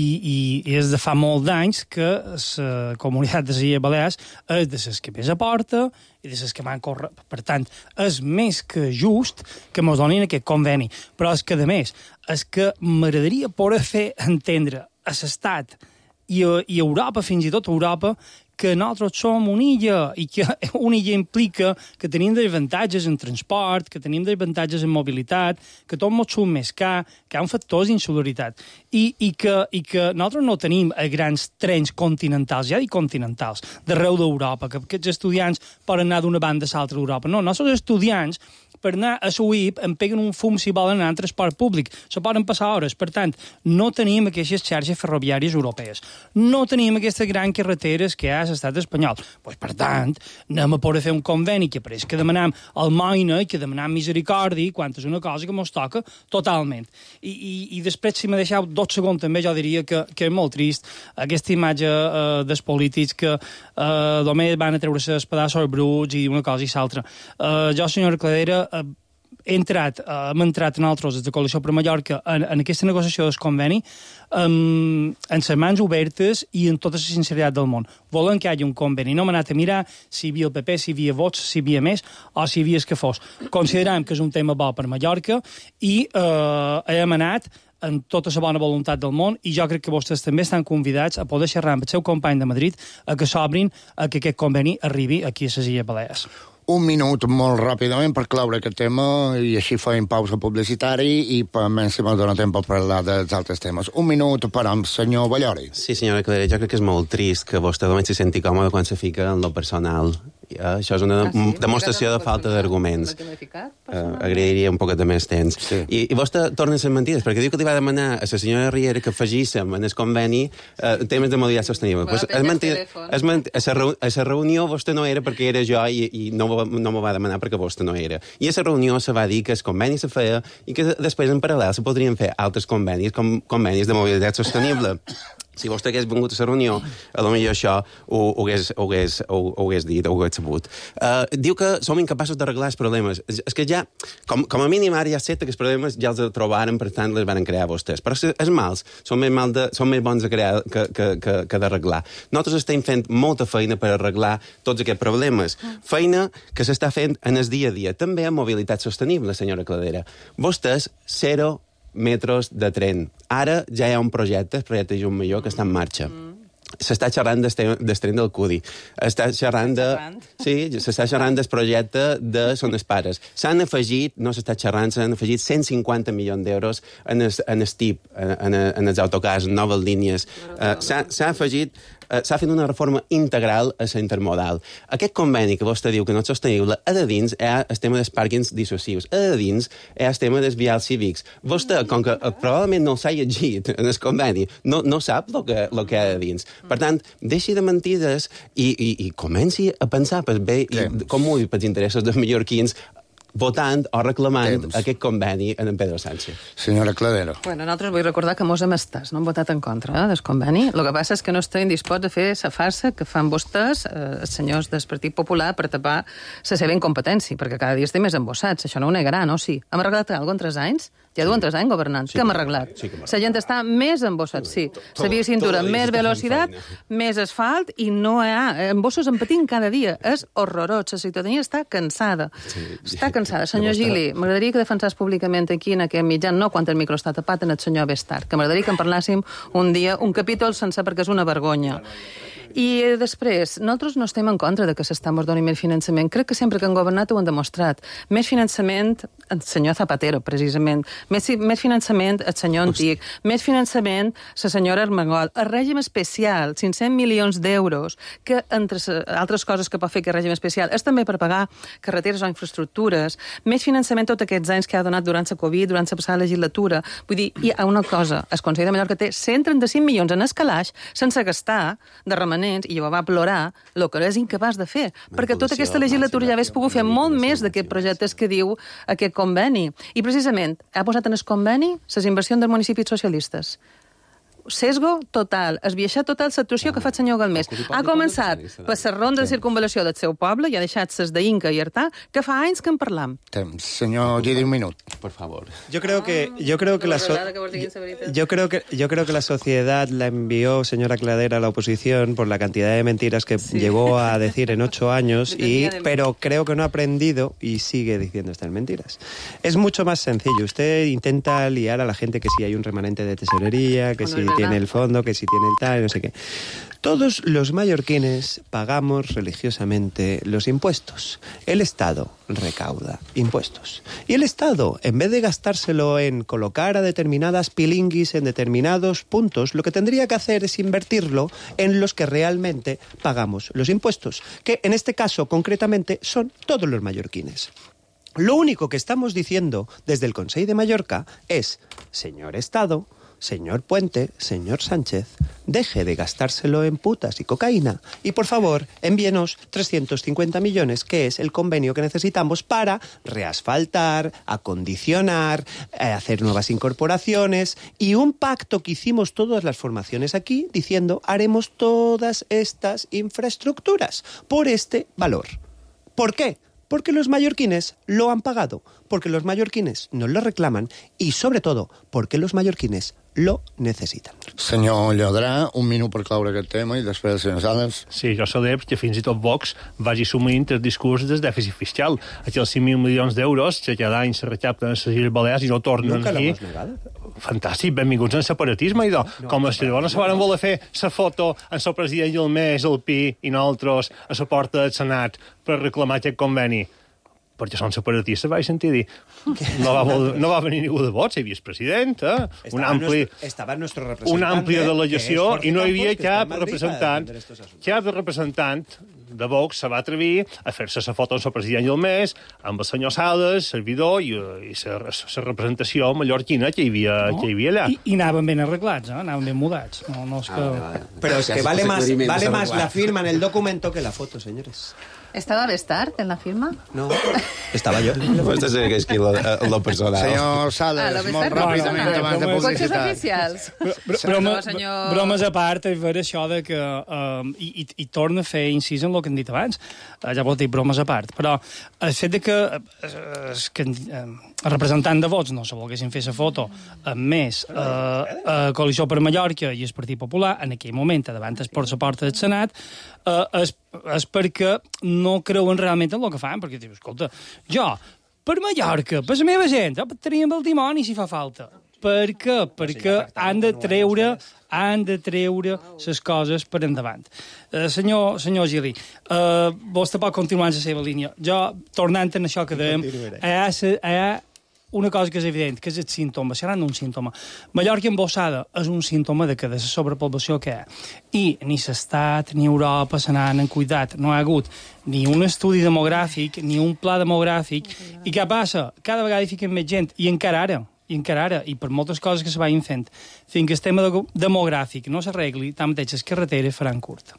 i és de fa molts anys que la comunitat de les Illes Balears és de les que més aporta i de les que van córrer. Per tant, és més que just que ens donin aquest conveni. Però és que, a més, és que m'agradaria poder fer entendre a l'Estat i a, i a Europa, fins i tot a Europa, que nosaltres som una illa i que una illa implica que tenim desavantatges en transport, que tenim desavantatges en mobilitat, que tot ens surt més car, que hi ha un factor d'insolidaritat i, i, que, i que nosaltres no tenim grans trens continentals, ja dic continentals, d'arreu d'Europa, que aquests estudiants poden anar d'una banda a l'altra d'Europa. No, nosaltres estudiants per anar a la U I P em peguen un fum si volen anar en transport públic. Se poden passar hores. Per tant, no tenim aquestes xarxes ferroviàries europees. No tenim aquestes grans carreteres que hi ha a l'estat espanyol. Pues, per tant, anem a poder fer un conveni que pareix que demanam almoina i que demanam misericòrdia quan és una cosa que ens toca totalment. I, i, i després, si m'ha deixat dos segons també, jo diria que, que és molt trist aquesta imatge eh, dels polítics que eh, només van a treure-se els pedaços bruts i una cosa i l'altra. Eh, jo, senyora Cladera, he entrat, eh, hem entrat en altres de Coalició per Mallorca en, en aquesta negociació del conveni um, en les mans obertes i en tota la sinceritat del món. Volem que hi hagi un conveni. No hem anat a mirar si hi havia el P P, si hi havia vots, si hi havia més o si hi havia el que fos. Considerem que és un tema bo per Mallorca i eh, hem anat amb tota la bona voluntat del món i jo crec que vostès també estan convidats a poder xerrar amb el seu company de Madrid a que s'obrin, a que aquest conveni arribi aquí a les Illes Balears. Un minut molt ràpidament per claure aquest tema i així fem pausa publicitari i menys si m'ha donat temps per parlar dels altres temes. Un minut per amb senyor Ballori. Sí, senyora Cladera, jo crec que és molt trist que vostè només se senti còmode quan se fica en lo personal. Ja, això és una ah, sí? demostració de falta d'arguments. Uh, agrairia un poquet de més temps. Sí. I, I vostè torna a ser mentides, perquè diu que li va demanar a la senyora Riera que afegíssim en el conveni uh, temes de mobilitat sostenible. Bueno, pues, és mentida, és mentida, a, la reu, a la reunió vostè no era perquè era jo i, i no, no m'ho va demanar perquè vostè no era. I a la reunió se va dir que el conveni se feia i que després en paral·lel se podrien fer altres convenis, com convenis de mobilitat sostenible. Si vostè hagués vingut a la reunió, a lo millor això ho, ho, hagués, ho, hagués, ho, ho hagués dit, ho hagués sabut. Uh, diu que som incapaços d'arreglar els problemes. És, és que ja, com, com a mínim ara ja sé que els problemes ja els trobaren, per tant les van crear vostès. Però els mals són més, mal de, són més bons de crear que, que, que, que d'arreglar. Nosaltres estem fent molta feina per arreglar tots aquests problemes. Feina que s'està fent en el dia a dia. També en mobilitat sostenible, senyora Cladera. Vostès, zero metros de tren. Ara ja hi ha un projecte, el projecte Jun Major, que està en marxa. S'està xerrant del tren del Cudi. Està xerrant de... Sí, s'està xerrant del projecte de Sones Pares. S'han afegit, no s'està xerrant, s'han afegit cent cinquanta milions d'euros en el, en el T I P, en, en els autocars, en noves línies. Uh, s'ha afegit... s'ha fet una reforma integral a la intermodal. Aquest conveni que vostè diu que no és sostenible, a de dins hi ha el tema dels pàrquings dissuasius, a de dins hi ha el tema dels vials cívics. Vostè, com que probablement no s'ha llegit en el conveni, no, no sap el que, lo que hi ha de dins. Per tant, deixi de mentides i, i, i comenci a pensar per bé i com ho pels interessos dels mallorquins votant o reclamant Temps. aquest conveni en en Pedro Sánchez. Senyora Cladera. Bueno, nosaltres vull recordar que mos hem estat, no hem votat en contra eh, del conveni. El que passa és que no estem disposats a fer la farsa que fan vostès, eh, els senyors del Partit Popular, per tapar la seva incompetència, perquè cada dia estem més embossats. Això no ho negaran, no? Sí. Hem arreglat alguna cosa en tres anys? Ja duen tres anys governant. Sí, Què hem arreglat? sí que hem La gent està més embossat, sí. La via cintura, més velocitat, més asfalt, i no hi ha... Embossos en patint cada dia. És horrorós. La ciutadania està cansada. Sí. Està cansada. Senyor Gili, m'agradaria que defensàs públicament aquí, en aquest mitjà, no quan el micro està tapat, en el senyor Bestart, que m'agradaria que en parlàssim un dia, un capítol sencer, perquè és una vergonya. I després, nosaltres no estem en contra de que s'està doni més finançament. Crec que sempre que han governat ho han demostrat. Més finançament, el senyor Zapatero, precisament. Més, més finançament, el senyor Antic. Més finançament, la senyora Armengol. El règim especial, cinc-cents milions d'euros, que entre altres coses que pot fer aquest règim especial és també per pagar carreteres o infraestructures. Més finançament tots aquests anys que ha donat durant la Covid, durant la passada legislatura. Vull dir, hi ha una cosa. El Consell de Mallorca té cent trenta-cinc milions en escalaix sense gastar de remenament, i jo va plorar el que és incapaç de fer, perquè tota aquesta legislatura ja hagués pogut fer molt més d'aquests projectes que diu aquest conveni. I precisament ha posat en el conveni les inversions dels municipis socialistes. Sesgo total, esbiaixar total l'actuació que fa el senyor Galmés. Ha començat per la ronda de circunvalació del seu poble i ha deixat ses d'Inca i Artà, que fa anys que en parlam. Temps. Senyor Gili, un minut. Por favor. Yo creo que yo creo que la so- yo creo que yo creo que la sociedad la envió, señora Cladera, a la oposición por la cantidad de mentiras que Sí. llegó a decir en ocho años, y de- pero creo que no ha aprendido y sigue diciendo estas mentiras. Es mucho más sencillo. Usted intenta liar a la gente que si hay un remanente de tesorería, que Bueno, si es verdad. tiene el fondo, que si tiene el tal, no sé qué. Todos los mallorquines pagamos religiosamente los impuestos. El Estado recauda impuestos. Y el Estado, en vez de gastárselo en colocar a determinadas pilinguis en determinados puntos, lo que tendría que hacer es invertirlo en los que realmente pagamos los impuestos, que en este caso concretamente son todos los mallorquines. Lo único que estamos diciendo desde el Consell de Mallorca es, señor Estado, señor Puente, señor Sánchez, deje de gastárselo en putas y cocaína y, por favor, envíenos trescientos cincuenta millones, que es el convenio que necesitamos para reasfaltar, acondicionar, eh, hacer nuevas incorporaciones y un pacto que hicimos todas las formaciones aquí diciendo haremos todas estas infraestructuras por este valor. ¿Por qué? Porque los mallorquines lo han pagado, porque los mallorquines nos lo reclaman y, sobre todo, porque los mallorquines lo necessitan. Senyor Llodrà, un minut per cloure aquest tema i després el senyor Sales. Sí, jo celebro que fins i tot Vox vagi assumint el discurs del dèficit fiscal. Aquells cinc mil milions d'euros que cada any se recapten a les Illes Balears i no tornen Nunca aquí. lo hemos negado. Fantàstic, benvinguts al separatisme, idò. No, com els que llavors se van voler fer la foto amb el president Galmés, el Pi i nosaltres a la porta del Senat per reclamar aquest conveni. Perquè són separatistes, vaig sentir dir. No va, vol, no va venir ningú de vots, hi havia el president, eh? un ampli, estava nuestro representante, una àmplia delegació, que i no hi havia Campos, cap representant, cap representant de Vox se va atrevir a fer-se la foto amb el president Galmés, amb el senyor Sales, servidor, i, i la representació mallorquina que hi havia, No? que hi havia allà. I, I anaven ben arreglats, eh? Anaven ben mudats. No, no és que... Ah, vale, vale. Pero es que Gracias, vale ese más, aclarimiento vale es más adecuado. la firma en el documento que la foto, señores. Estava Bestart en la firma? No, estaba yo. Vostè sé que és qui lo, lo personal. Senyor Ah, Sales, la molt Bestart ràpidament no, no, abans de no, Cotxes publicitat. oficials. Br broma, No, senyor- Bromes a part, és ver això de que... Um, i, i, I torna a fer incís en el que hem dit abans. Uh, ja vol dir bromes a part. Però el fet de que, uh, que uh, el representant de vots no se volguessin fer la foto amb més uh, uh, Coalició per Mallorca i el Partit Popular, en aquell moment, davant es por la porta del Senat, uh, és, és perquè no creuen realment en el que fan, perquè dius, escolta, jo, per Mallorca, per la meva gent, jo teníem el dimoni si fa falta. Per què? Perquè han de treure han de treure les coses per endavant. Uh, senyor, senyor Gili, uh, vostè pot continuar en la seva línia. Jo, tornant a això que dèiem, hi ha, hi ha una cosa que és evident, que és el símptoma, serà un símptoma. Mallorca embossada és un símptoma de que de la sobrepoblació que hi ha. I ni l'Estat ni Europa se n'han cuidat. No hi ha hagut ni un estudi demogràfic, ni un pla demogràfic. I què passa? Cada vegada hi fiquen més gent. I encara ara, i encara ara, i per moltes coses que se vagin fent, fins que el tema demogràfic no s'arregli, tanmateix les carreteres faran curt.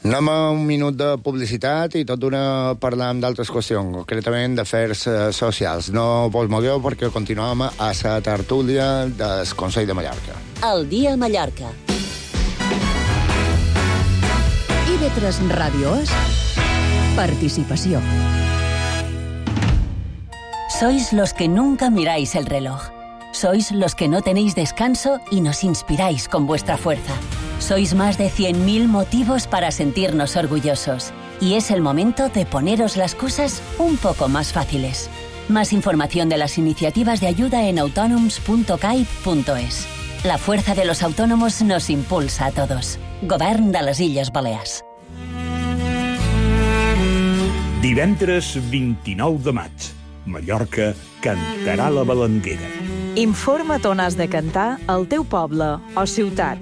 Anem a un minut de publicitat i tot d'una parlam d'altres qüestions, concretament d'afers eh, socials. No vos mogueu perquè continuem a la tertúlia del Consell de Mallorca. El dia a Mallorca. I ve tres Radio es participació. Sois los que nunca miráis el reloj. Sois los que no tenéis descanso y nos inspiráis con vuestra fuerza. Sois más de cien mil motivos para sentirnos orgullosos. Y es el momento de poneros las cosas un poco más fáciles. Más información de las iniciativas de ayuda en autonoms punto caib punto es. La fuerza de los autónomos nos impulsa a todos. Govern de les Illes Balears. Divendres vint-i-nou de maig, Mallorca cantarà la Balanguera. Informa't on has de cantar al teu poble o ciutat.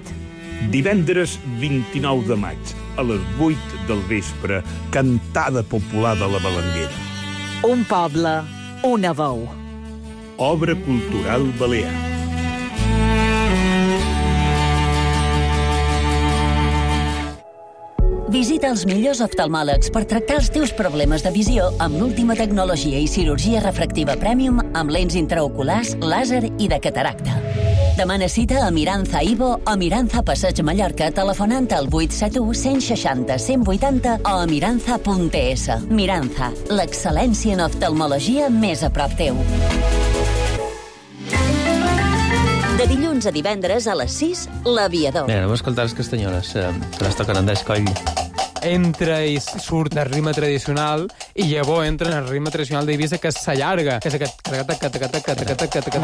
Divendres vint-i-nou de maig, a les vuit del vespre, cantada popular de la Balanguera. Un poble, una veu. Obra cultural balear. Visita els millors oftalmòlegs per tractar els teus problemes de visió amb l'última tecnologia i cirurgia refractiva Premium amb lents intraoculars, làser i de cataracta. Demana cita a Miranza Ivo o Miranza Passeig Mallorca telefonant al vuit set u, cent seixanta, cent vuitanta o a miranza punt es. Miranza, l'excel·lència en oftalmologia més a prop teu. De dilluns a divendres a les sis, L'Aviador. Mira, anem a escoltar les castanyoles, eh, que les toquen Andrés Coll. Entra i surt el ritme tradicional i llavors entra en el ritme tradicional d'Eivissa, que s'allarga, que és aquest...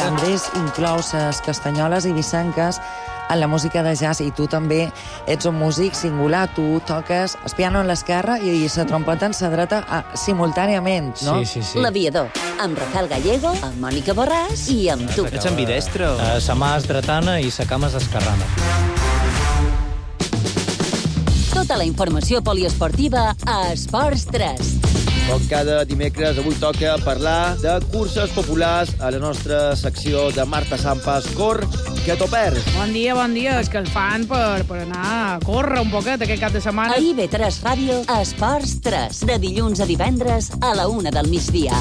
Andrés inclou les castanyoles i vissanques en la música de jazz, i tu també ets un músic singular. Tu toques el piano en l'esquerra i la trompeta en la dreta simultàniament, no? Sí, sí, sí. L'Aviador, amb Rafael Gallego, amb Mònica Borràs i amb tu. Ets ambidestre? Uh, sa mà és dretana i sa cama és esquerrana. Tota la informació poliesportiva a Esports tres. Com cada dimecres, avui toca parlar de curses populars a la nostra secció de Marta Sampas, Cor, que t'ho perds. Bon dia, bon dia. És que el fan per, per anar a córrer un poquet aquest cap de setmana. A I B tres Ràdio, a Esports tres, de dilluns a divendres a la una del migdia.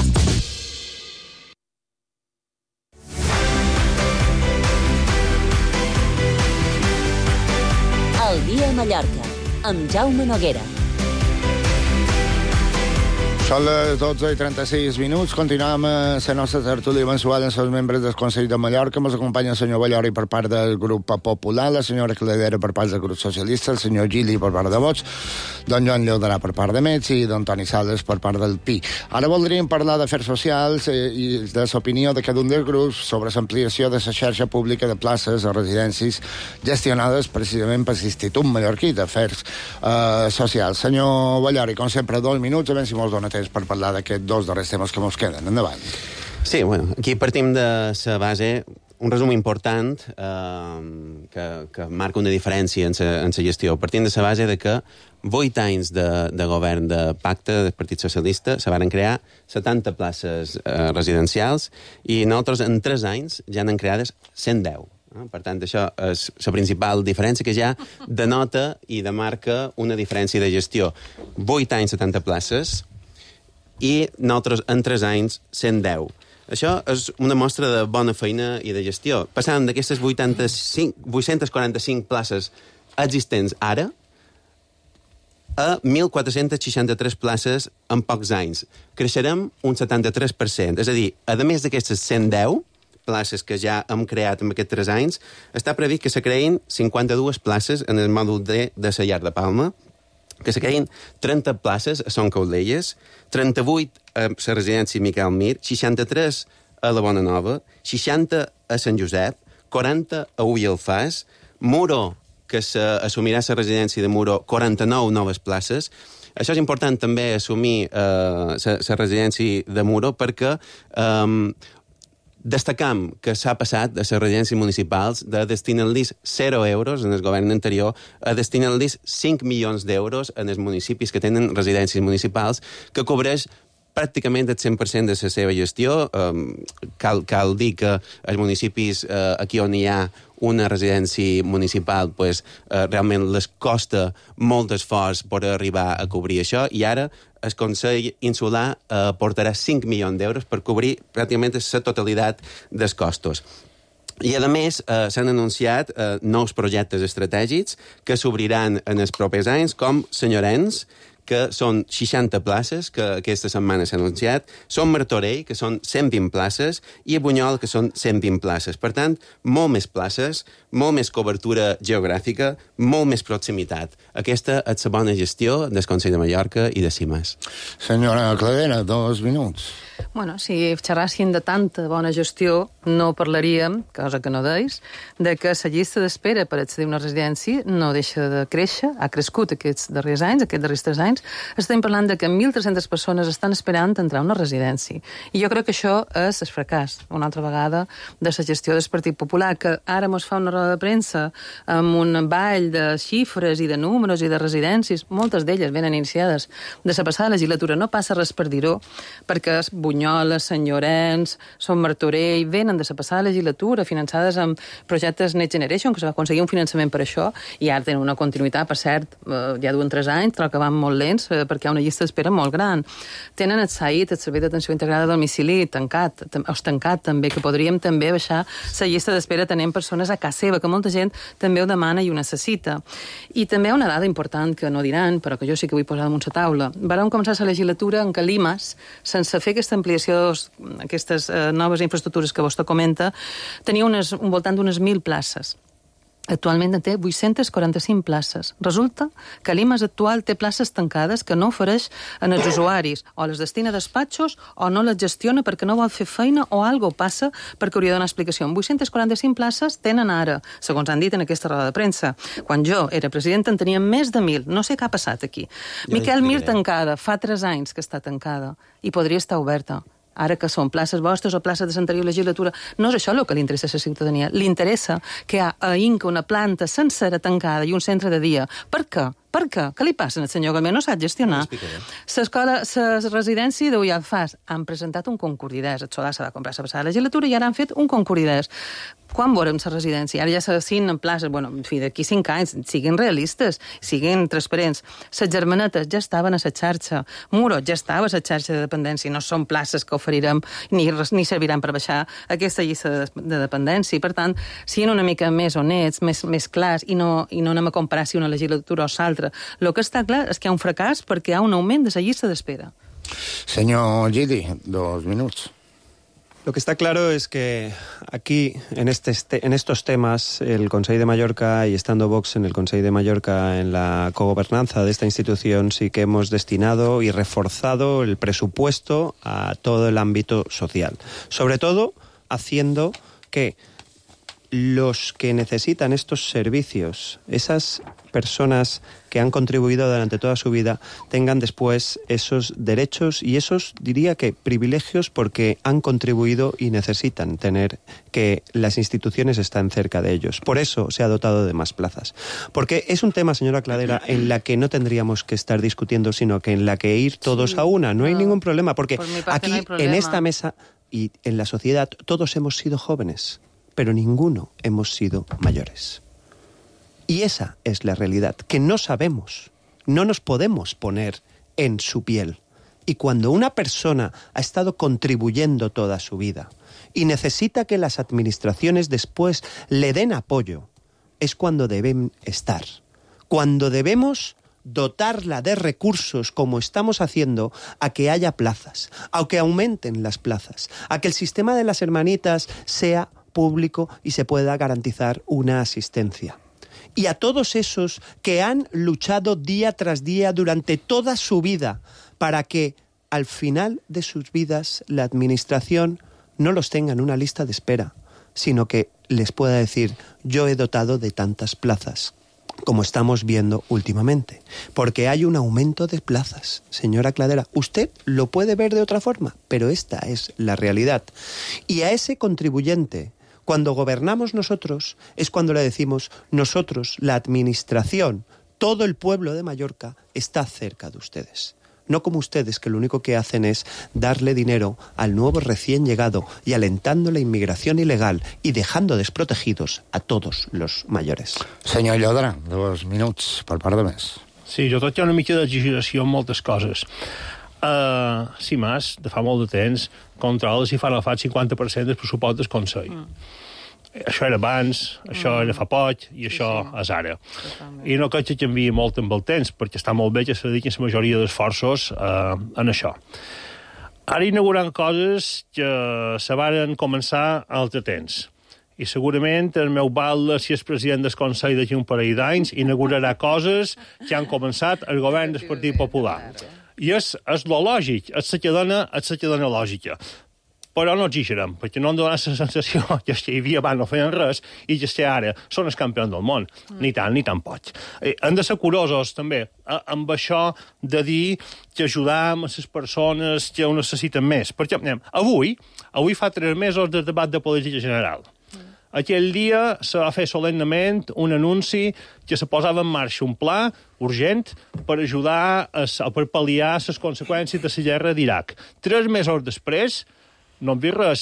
El dia a Mallorca, amb Jaume Noguera. Són les dotze i trenta-sis minuts. Continuem a la nostra tertúlia mensual amb els membres del Consell de Mallorca. Ens acompanya el senyor Ballori per part del grup popular, la senyora Cladera per part del grup socialista, el senyor Gili per part de Vots, don Joan Llodarà per part de Metz i don Toni Sales per part del Pi. Ara voldríem parlar d'afers socials i de l'opinió de cada un dels grups sobre l'ampliació de la xarxa pública de places a residències gestionades precisament per l'Institut Mallorquí d'Afers eh, Socials. Senyor Ballori, com sempre, dos minuts, a veure si mos dona temps per parlar d'aquests dos darrers temes que mos queden. Endavant. Sí, bueno, aquí partim de la base, un resum important eh, que, que marca una diferència en la gestió. Partim de la base de que vuit anys de, de govern de pacte del Partit Socialista se van crear setanta places eh, residencials i nosaltres en tres anys ja n'han creades cent deu. Per tant, això és la principal diferència que ja denota i demarca una diferència de gestió. vuit anys, setanta places, i nosaltres en tres anys cent deu. Això és una mostra de bona feina i de gestió. Passant d'aquestes vuit-centes quaranta-cinc places existents ara a mil quatre-cents seixanta-tres places en pocs anys. Creixerem un setanta-tres per cent. És a dir, a més d'aquestes cent deu places que ja hem creat en aquests tres anys, està previst que se creïn cinquanta-dues places en el mòdul D de la Llar de Palma, que se creïn trenta places a Son Caudelles, trenta-vuit a la residència Miquel Mir, seixanta-tres a la Bona Nova, seixanta a Sant Josep, quaranta a Ull Alfàs, Muro, que s'assumirà la residència de Muro, quaranta-nou noves places. Això és important també assumir la eh, residència de Muro perquè eh, destacam que s'ha passat a les residències municipals de destinar-los zero euros en el govern anterior a destinar-los cinc milions d'euros en els municipis que tenen residències municipals, que cobreix pràcticament el cent per cent de la seva gestió. Um, cal, cal dir que els municipis uh, aquí on hi ha una residència municipal, pues, uh, realment les costa molt d'esforç per arribar a cobrir això, i ara el Consell Insular uh, portarà cinc milions d'euros per cobrir pràcticament la totalitat dels costos. I, a més, eh, s'han anunciat eh, nous projectes estratègics que s'obriran en els propers anys, com Senyorens, que són seixanta places, que aquesta setmana s'ha anunciat, són Martorell, que són cent vint places, i a Bunyol, que són cent vint places. Per tant, molt més places, molt més cobertura geogràfica, molt més proximitat. Aquesta és la bona gestió del Consell de Mallorca i de CIMAS. Senyora Cladera, dos minuts. Bueno, si xerrassin de tanta bona gestió, no parlaríem, cosa que no deis, de que la llista d'espera per accedir a una residència no deixa de créixer, ha crescut aquests darrers anys, aquests darrers tres anys. Estem parlant de que mil tres-centes persones estan esperant entrar a una residència. I jo crec que això és el fracàs, una altra vegada, de la gestió del Partit Popular, que ara mos fa una roda de premsa amb un ball de xifres i de números i de residències, moltes d'elles venen iniciades de la passada legislatura, no passa res per dir-ho, perquè és Bunyola, Sant Llorenç, Son Martorell, venen de la passada legislatura, finançades amb projectes Next Generation, que se va aconseguir un finançament per això, i ara tenen una continuïtat, per cert, eh, ja duen tres anys, però que van molt lents, eh, perquè hi ha una llista d'espera molt gran. Tenen el S A I T, el Servei d'Atenció Integrada a Domicili, tancat, o tancat també, que podríem també baixar la llista d'espera tenint persones a casa seva, que molta gent també ho demana i ho necessita. I també una dada important que no diran, però que jo sí que vull posar damunt la taula. Vàrem començar la legislatura en què l'I M A S, sense fer aquesta ampliació, aquestes eh, noves infraestructures que vostè comenta, tenia unes, un voltant d'unes mil places. Actualment en té vuit-centes quaranta-cinc places. Resulta que l'I M A S actual té places tancades que no ofereix en els usuaris, o les destina a despatxos o no les gestiona perquè no vol fer feina o algo passa perquè hauria de donar explicació. vuit-centes quaranta-cinc places tenen ara, segons han dit en aquesta roda de premsa. Quan jo era presidenta en teníem més de mil. No sé què ha passat aquí. Ja Miquel Mir tancada, fa tres anys que està tancada i podria estar oberta. Ara que són places vostres o places de l'anterior legislatura, no és això el que li interessa a la ciutadania. Li interessa que hi ha a Inca una planta sencera tancada i un centre de dia. Per què? Per què? Què li passa al senyor Galmer? No sap gestionar. L'escola, la residència d'Ull Alfàs han presentat un concurs d'idees. El Solà se va comprar la passada legislatura i ara han fet un concurs d'idees. Quan veurem la residència? Ara ja s'assignen places, bueno, en fi, d'aquí cinc anys, siguin realistes, siguin transparents. Les germanetes ja estaven a la xarxa. Muro ja estava a la xarxa de dependència. No són places que oferirem ni, ni serviran per baixar aquesta llista de, de dependència. Per tant, siguin una mica més honets, més, més clars, i no, i no anem a comparar si una legislatura o l'altra. El que està clar és que hi ha un fracàs perquè hi ha un augment de la llista d'espera. Señor Gidi, dos minutos. Lo que está claro es que aquí, en, este, en estos temas, el Consell de Mallorca y estando Vox en el Consell de Mallorca en la cogobernanza de esta institución, sí que hemos destinado y reforzado el presupuesto a todo el ámbito social. Sobre todo, haciendo que los que necesitan estos servicios, esas personas que han contribuido durante toda su vida, tengan después esos derechos y esos, diría que, privilegios porque han contribuido y necesitan tener que las instituciones están cerca de ellos. Por eso se ha dotado de más plazas. Porque es un tema, señora Cladera, en la que no tendríamos que estar discutiendo, sino que en la que ir todos sí, a una. No, no hay ningún problema, porque por aquí, no hay problema. En esta mesa y en la sociedad, todos hemos sido jóvenes, pero ninguno hemos sido mayores. Y esa es la realidad, que no sabemos, no nos podemos poner en su piel. Y cuando una persona ha estado contribuyendo toda su vida y necesita que las administraciones después le den apoyo, es cuando deben estar. Cuando debemos dotarla de recursos, como estamos haciendo, a que haya plazas, a que aumenten las plazas, a que el sistema de las hermanitas sea público y se pueda garantizar una asistencia. Y a todos esos que han luchado día tras día durante toda su vida para que al final de sus vidas la administración no los tenga en una lista de espera, sino que les pueda decir: yo he dotado de tantas plazas, como estamos viendo últimamente. Porque hay un aumento de plazas, señora Cladera. Usted lo puede ver de otra forma, pero esta es la realidad. Y a ese contribuyente, cuando gobernamos nosotros, es cuando le decimos: nosotros, la administración, todo el pueblo de Mallorca está cerca de ustedes. No como ustedes, que lo único que hacen es darle dinero al nuevo recién llegado y alentando la inmigración ilegal y dejando desprotegidos a todos los mayores. Senyor Llodra, dos minuts per part de més. Sí, jo tot hi ha una mica d'exageració en moltes coses. Uh, CIMAS, de fa molt de temps, controla si fan el cinquanta per cent del pressupost del Consell. Mm. Això era abans, això era fa poc i això és ara. I no crec que canviï molt amb el temps, perquè està molt bé que se dediquin la majoria d'esforços eh, en això. Ara inauguran coses que se varen començar a altre temps. I segurament el meu batlle, si és president del Consell d'aquí un parell d'anys, inaugurarà coses que han començat el govern del Partit Popular. I és, és lo lògic, és la que dona, és la que dona lògica. Però no exagerem, perquè no em dona la sensació que els que hi havia abans no feien res i que els que ara són els campions del món. Mm. Ni tant, ni tant poc. Eh, hem de ser curosos, també, eh, amb això de dir que ajudam a les persones que ho necessiten més. Perquè, anem, avui, avui fa tres mesos del debat de política general. Mm. Aquell dia se va fer solemnement un anunci que se posava en marxa un pla urgent per ajudar, a, per pal·liar les conseqüències de la guerra d'Iraq. Tres mesos després, no hem vist res,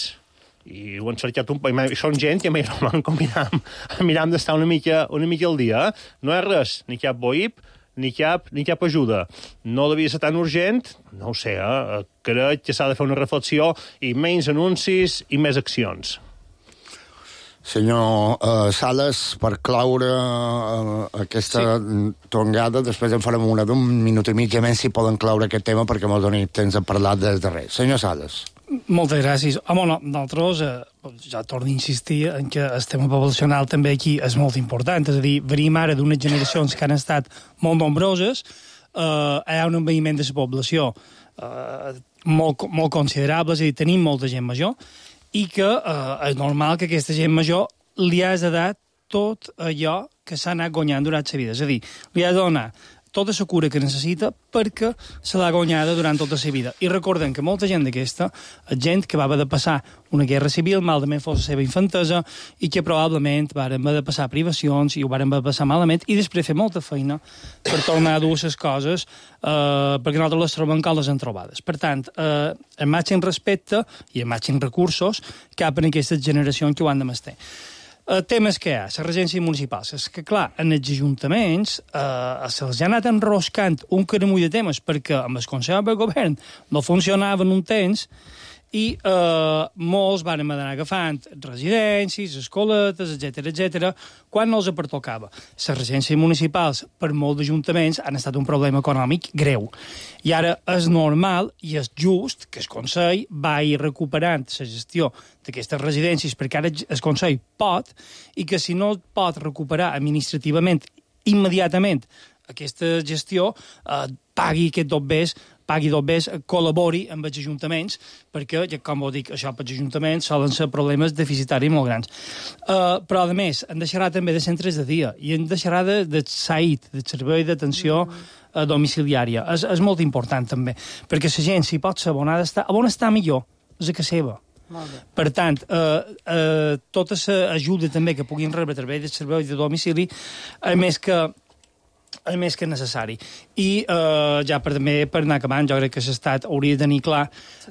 i ho han cercat un poc, i són gent que m'hi roman com miram, miram d'estar una mica, una mica al dia, eh? No és res, ni cap B O I P, ni cap, ni cap ajuda. No devia ser tan urgent, no ho sé, eh? Crec que s'ha de fer una reflexió i menys anuncis i més accions. Senyor uh, Sales, per claure uh, aquesta sí. tongada, després en farem una d'un minut i mig, a menys si poden claure aquest tema perquè m'ho doni temps de parlar des de res. Senyor Sales. Moltes gràcies. Home, no, nosaltres, eh, ja torno a insistir en que el tema poblacional també aquí és molt important, és a dir, venim ara d'unes generacions que han estat molt nombroses, eh, hi ha un envelliment de la població eh, molt, molt considerable, és a dir, tenim molta gent major, i que eh, és normal que aquesta gent major li has de dar tot allò que s'ha anat guanyant durant la vida, és a dir, li has de donar tota la cura que necessita perquè se l'ha guanyada durant tota la vida. I recordem que molta gent d'aquesta és gent que va haver de passar una guerra civil, malament fos la seva infantesa, i que probablement van haver de passar privacions i ho van haver de passar malament, i després fer molta feina per tornar a dur les coses eh, perquè nosaltres les trobem com les han trobades. Per tant, eh, el màxim respecte i el màxim recursos cap en aquestes generacions que ho han de mestir. Uh, temes que hi ha, la regència municipal. És que, clar, en els ajuntaments uh, se'ls ha anat enroscant un caramull de temes perquè amb el Consell de Govern no funcionaven un temps i uh, molts van anar agafant residències, escoletes, etcètera, etcètera, quan no els pertocava. Les regències municipals, per molts ajuntaments, han estat un problema econòmic greu. I ara és normal i és just que el Consell vagi recuperant la gestió d'aquestes residències, perquè ara el Consell pot, i que si no pot recuperar administrativament immediatament aquesta gestió, eh, pagui aquest dobbers, pagui dobbers, col·labori amb els ajuntaments, perquè, com ho dic, això per els ajuntaments solen ser problemes deficitaris molt grans. Uh, però, a més, en deixarà també de centres de dia i en deixarà de, de S A I D, de servei d'atenció uh, domiciliària. És, és molt important, també, perquè la gent, si pot ser on ha d'estar, on està millor, és a casa seva. Per tant, eh, eh, tota l'ajuda també que puguin rebre a través del servei de domicili, a més que a més que necessari. I eh, ja per, també per anar acabant, jo crec que l'Estat hauria de tenir clar,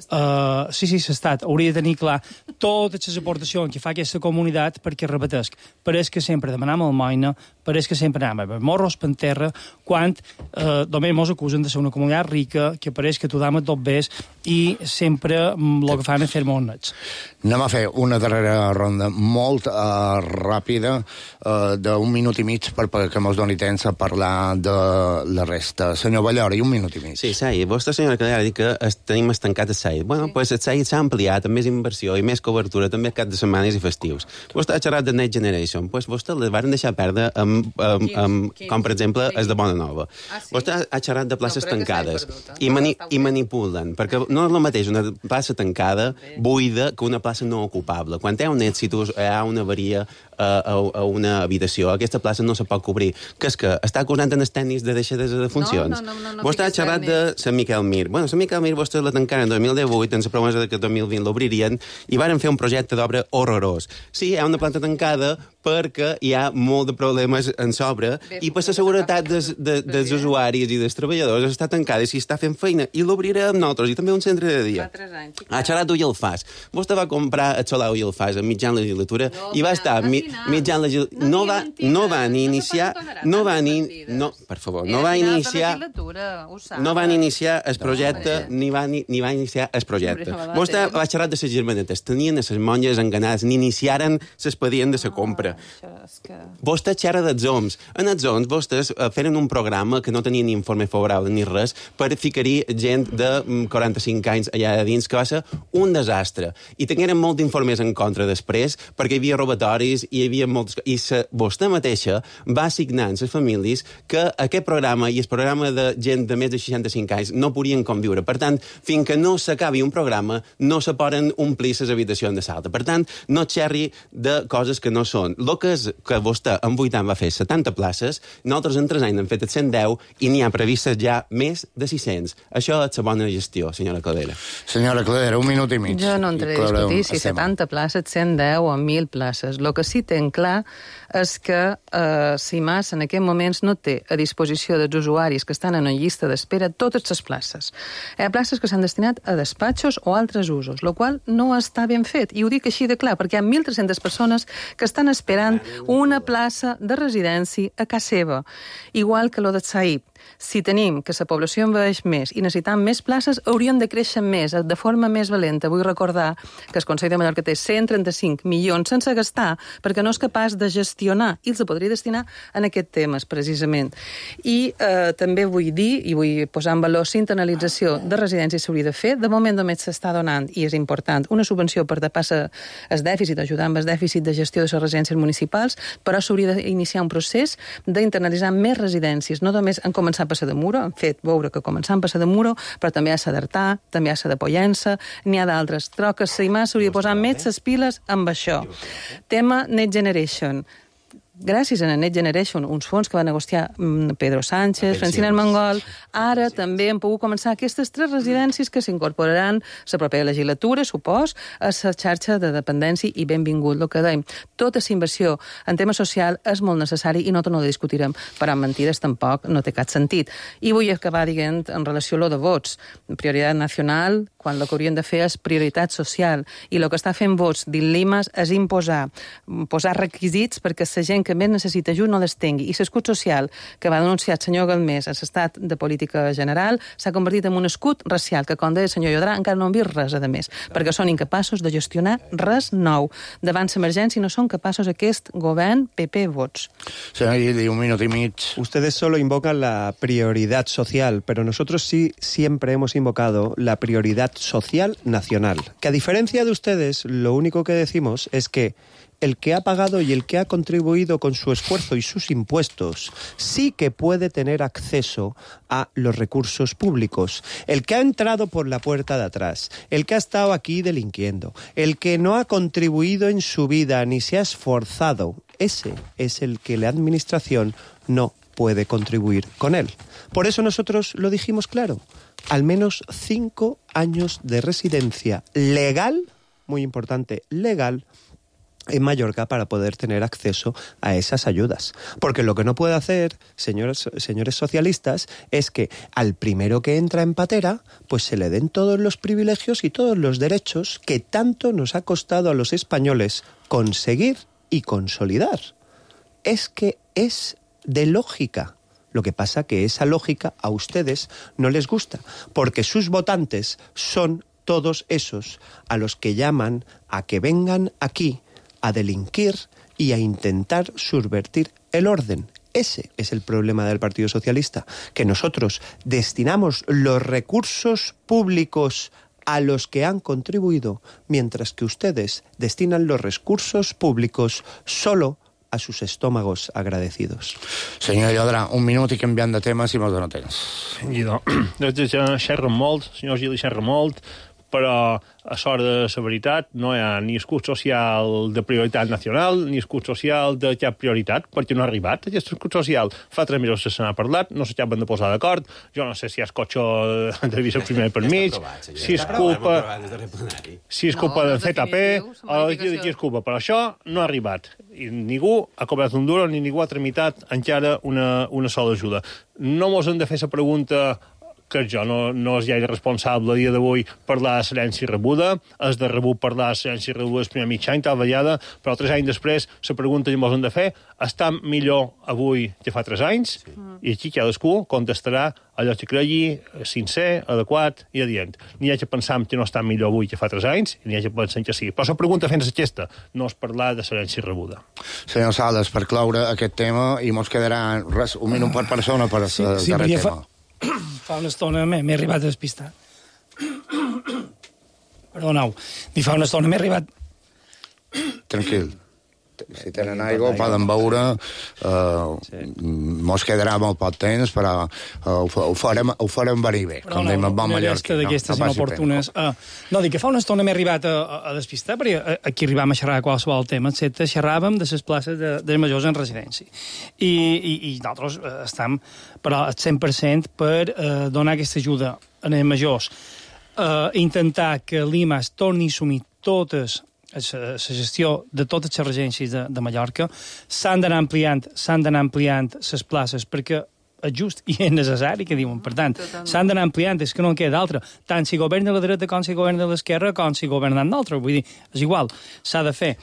eh, sí, sí, l'Estat hauria de tenir clar totes les aportacions que fa aquesta comunitat, perquè repetesc, pareix que sempre demanem almoina, pareix que sempre anem a morros per terra, quan eh, només mos acusen de ser una comunitat rica, que pareix que tothom et dobbers, i sempre el que fan és fer molt nets. Anem a fer una darrera ronda molt uh, ràpida, uh, d'un minut i mig, per, perquè mos doni temps a parlar de la resta. Senyor Ballora, i un minut i mig. Sí, S A I D. Vostè, senyora Cadera, ha dit que es, tenim estancat el S A I D. Bueno, doncs sí. El S A I D s'ha ampliat amb més inversió i més cobertura, també cap de setmanes i festius. Vostè ha xerrat de Next Generation. Doncs vostè les van deixar perdre amb, amb, amb, com, per exemple, el de Bona Nova. Ah, sí? Vostè ha xerrat de places no, tancades perdut, eh? i, mani, i manipulen, perquè no és el mateix una plaça tancada, buida, que una plaça no ocupable. Quan hi ha un èxit, hi ha una avaria a, a, a una habitació, aquesta plaça no se pot cobrir. Que és que està acusant en els tècnics de deixadesa de funcions. No, no, no, no, no vostè ha xerrat de Sant Miquel Mir. Bueno, Sant Miquel Mir vostè la tancaren en dos mil divuit, amb la promesa de que el dos mil vint l'obririen, i varen fer un projecte d'obra horrorós. Sí, hi ha una planta tancada perquè hi ha molt de problemes en sobre, i per la seguretat des, de, dels usuaris i dels treballadors està tancada i si està fent feina i l'obrirem nosaltres i també un centre de dia. Ha xerrat tu i el fas. Vostè va comprar el Solau i el fas a mitjan legislatura no, i va estar mi, mitjan legislatura. No, va, no va ni iniciar... No va ni... No, per favor, no va iniciar... No van iniciar el projecte ni va, ni, ni va iniciar el projecte. Vostè va xerrar de les germanetes. Tenien les monges enganades, ni iniciaren l'expedient de la compra. Vostè xerra dels O M S. En els O M S vostès feren un programa que no tenia ni informe favorable ni res per ficar-hi gent de quaranta-cinc anys allà de dins, que va ser un desastre. I tingueren molts informes en contra després, perquè hi havia robatoris i hi havia moltes... I sa, vostè mateixa va assignar a les famílies que aquest programa i el programa de gent de més de seixanta-cinc anys no podien conviure. Per tant, fins que no s'acabi un programa, no se poden omplir les habitacions de salta. Per tant, no xerri de coses que no són. El que és que vostè en vuit anys va fer setanta places, nosaltres en tres anys hem fet cent deu i n'hi ha previstes ja més de sis-cents. Això és la bona gestió, senyora Cladera. Senyora Cladera, un minut i mig. Jo no entraré a discutir si setanta places, cent deu o mil places. El que sí tenc clar és que eh, CIMAS en aquests moments no té a disposició dels usuaris que estan en una llista d'espera totes les places. Hi ha places que s'han destinat a despatxos o altres usos, el qual no està ben fet. I ho dic així de clar, perquè hi ha mil tres-centes persones que estan esperant una plaça de residència a casa seva, igual que lo de Saïb. Si tenim que la població envelleix més i necessitam més places, hauríem de créixer més, de forma més valenta. Vull recordar que el Consell de Mallorca té cent trenta-cinc milions sense gastar perquè no és capaç de gestionar i els podria destinar en aquests temes, precisament. I eh, també vull dir, i vull posar en valor la internalització de residències s'hauria de fer. De moment només s'està donant, i és important, una subvenció per tapar el dèficit, ajudar amb el dèficit de gestió de les residències municipals, però s'hauria d'iniciar un procés d'internalitzar més residències, no només en començar a passar de Muro, han fet veure que començant a passar de Muro, però també hi ha d'Artà, també hi ha de Pollença, n'hi ha d'altres. Troc que CIMAS s'hauria de posar més les piles amb això. Tema Next Generation. Gràcies a Next Generation, uns fons que va negociar Pedro Sánchez, Francina Armengol, ara també han pogut començar aquestes tres residències que s'incorporaran la propera legislatura, supos, a la xarxa de dependència i benvingut, el que dèiem. Tota la inversió en tema social és molt necessari i no no la discutirem, però amb mentides tampoc no té cap sentit. I vull acabar dient en relació a lo de vots. Prioritat nacional, quan el que haurien de fer és prioritat social. I el que està fent vots d'Il·limas és imposar, posar requisits perquè la gent que més necessita ajut no les tingui. I l'escut social que va denunciar el senyor Galmés a l'estat de política general s'ha convertit en un escut racial que, com deia el senyor Llodrà, encara no han vist res a més, perquè són incapaços de gestionar res nou. Davant l'emergència no són capaços aquest govern P P vots. Senyor Guidi, un minut y mig. Ustedes solo invocan la prioridad social, pero nosotros sí siempre hemos invocado la prioridad social nacional. Que a diferencia de ustedes, lo único que decimos es que el que ha pagado y el que ha contribuido con su esfuerzo y sus impuestos sí que puede tener acceso a los recursos públicos. El que ha entrado por la puerta de atrás, el que ha estado aquí delinquiendo, el que no ha contribuido en su vida ni se ha esforzado, ese es el que la administración no puede contribuir con él. Por eso nosotros lo dijimos claro, al menos cinco años de residencia legal, muy importante, legal, en Mallorca para poder tener acceso a esas ayudas. Porque lo que no puede hacer, señores, señores socialistas, es que al primero que entra en patera, pues se le den todos los privilegios y todos los derechos que tanto nos ha costado a los españoles conseguir y consolidar. Es que es de lógica. Lo que pasa que esa lógica a ustedes no les gusta, porque sus votantes son todos esos a los que llaman a que vengan aquí a delinquir y a intentar subvertir el orden. Ese es el problema del Partido Socialista, que nosotros destinamos los recursos públicos a los que han contribuido, mientras que ustedes destinan los recursos públicos solo a sus estómagos agradecidos. Senyor Llodrà, un minut i canviant de tema, si mos dona temps. Guido, des de xerra molt, senyor Gili xerra molt, però a sort de la veritat no hi ha ni escut social de prioritat nacional ni escut social de cap prioritat, perquè no ha arribat. Aquest escut social fa tres mesos que se n'ha parlat, no s'acaben de posar d'acord, jo no sé si és cotxo de viceprimer per mig, si és culpa, si és culpa de Z P o de qui és culpa, però això no ha arribat. I ningú ha cobrat un duro ni ningú ha tramitat encara una, una sola ajuda. No mos hem de fer la pregunta que jo no, no és gaire responsable a dia d'avui parlar de l'herència rebuda, és de rebut parlar de l'herència rebuda el primer mig any, tal vegada, però tres anys després la pregunta que ens hem de fer està millor avui que fa tres anys, sí. I aquí cadascú contestarà allò que cregui sincer, adequat i adient. N'hi ha que pensar que no està millor avui que fa tres anys, i n'hi ha que pensar que sí. Però la pregunta fent aquesta no és parlar de l'herència rebuda. Senyor Sales, per cloure aquest tema, i mos quedarà res, un minut per persona per sí, el sí, darrer fa... tema. Fa una estona m'he arribat a despistar. Perdoneu. Ni fa una estona m'he arribat... Tranquil. Si tenen aigua, poden beure. Uh, sí. Mos quedarà molt poc temps, però uh, ho, ho, farem, ho farem venir bé. Però com no, no, una resta d'aquestes no, no inoportunes. Uh, no, dic que fa una estona m'he arribat a, a, a despistar, perquè aquí arribàvem a xerrar qualsevol tema, etcètera. Xerràvem de les places de, de majors en residència. I, i, i nosaltres uh, estem, però, al cent per cent per uh, donar aquesta ajuda a els majors. Uh, intentar que l'I M A es torni a assumir totes la gestió de totes les regències de, de Mallorca. S'han d'anar ampliant, s'han d'anar ampliant les places perquè és just i és necessari, que diuen. Per tant, s'han d'anar ampliant, és que no en queda d'altra. Tant si governa la dreta com si governa l'esquerra com si governen d'altra. Vull dir, és igual, s'ha de fer.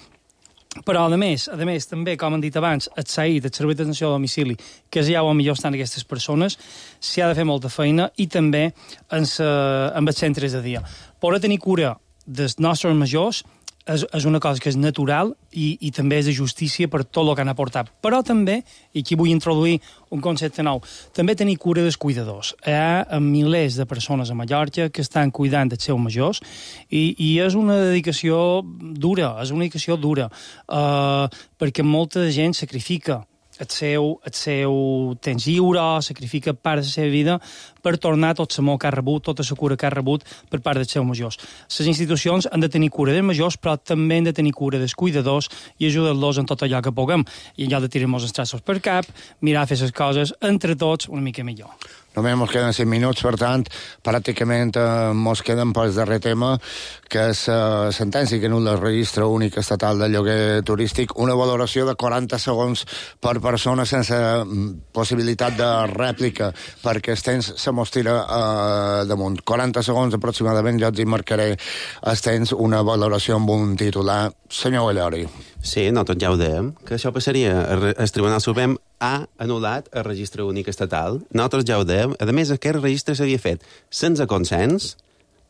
Però, a més, a més, també, com han dit abans, el S A I, el Servei d'Atenció a Domicili, que és ja on millor estan aquestes persones, s'hi ha de fer molta feina, i també en, sa, en els centres de dia. Poder tenir cura dels nostres majors és, és una cosa que és natural i, i també és de justícia per tot el que han aportat. Però també, i aquí vull introduir un concepte nou, també tenir cura dels cuidadors. Hi ha milers de persones a Mallorca que estan cuidant dels seus majors i, i és una dedicació dura, és una dedicació dura, uh, perquè molta gent sacrifica el seu, el seu temps lliure, sacrifica part de la seva vida per tornar tot l'amor que ha rebut, tota la cura que ha rebut per part dels seus majors. Les institucions han de tenir cura dels majors, però també han de tenir cura dels cuidadors i ajudar-los en tot allò que puguem. I allò de tirar-nos els traços per cap, mirar a fer les coses entre tots una mica millor. Només mos queden cinc minuts, per tant, pràcticament eh, mos queden pel darrer tema, que és la eh, sentència que anul·la el registre únic estatal de lloguer turístic, una valoració de quaranta segons per persona sense possibilitat de rèplica, perquè el temps se mos tira eh, damunt. quaranta segons aproximadament, jo els hi marcaré el temps, una valoració amb un titular. Senyor Vallori. Sí, nosaltres ja ho dèiem, que això passaria. El Tribunal Suprem ha anul·lat el registre únic estatal. Nosaltres ja ho dèiem. A més, aquest registre s'havia fet sense consens,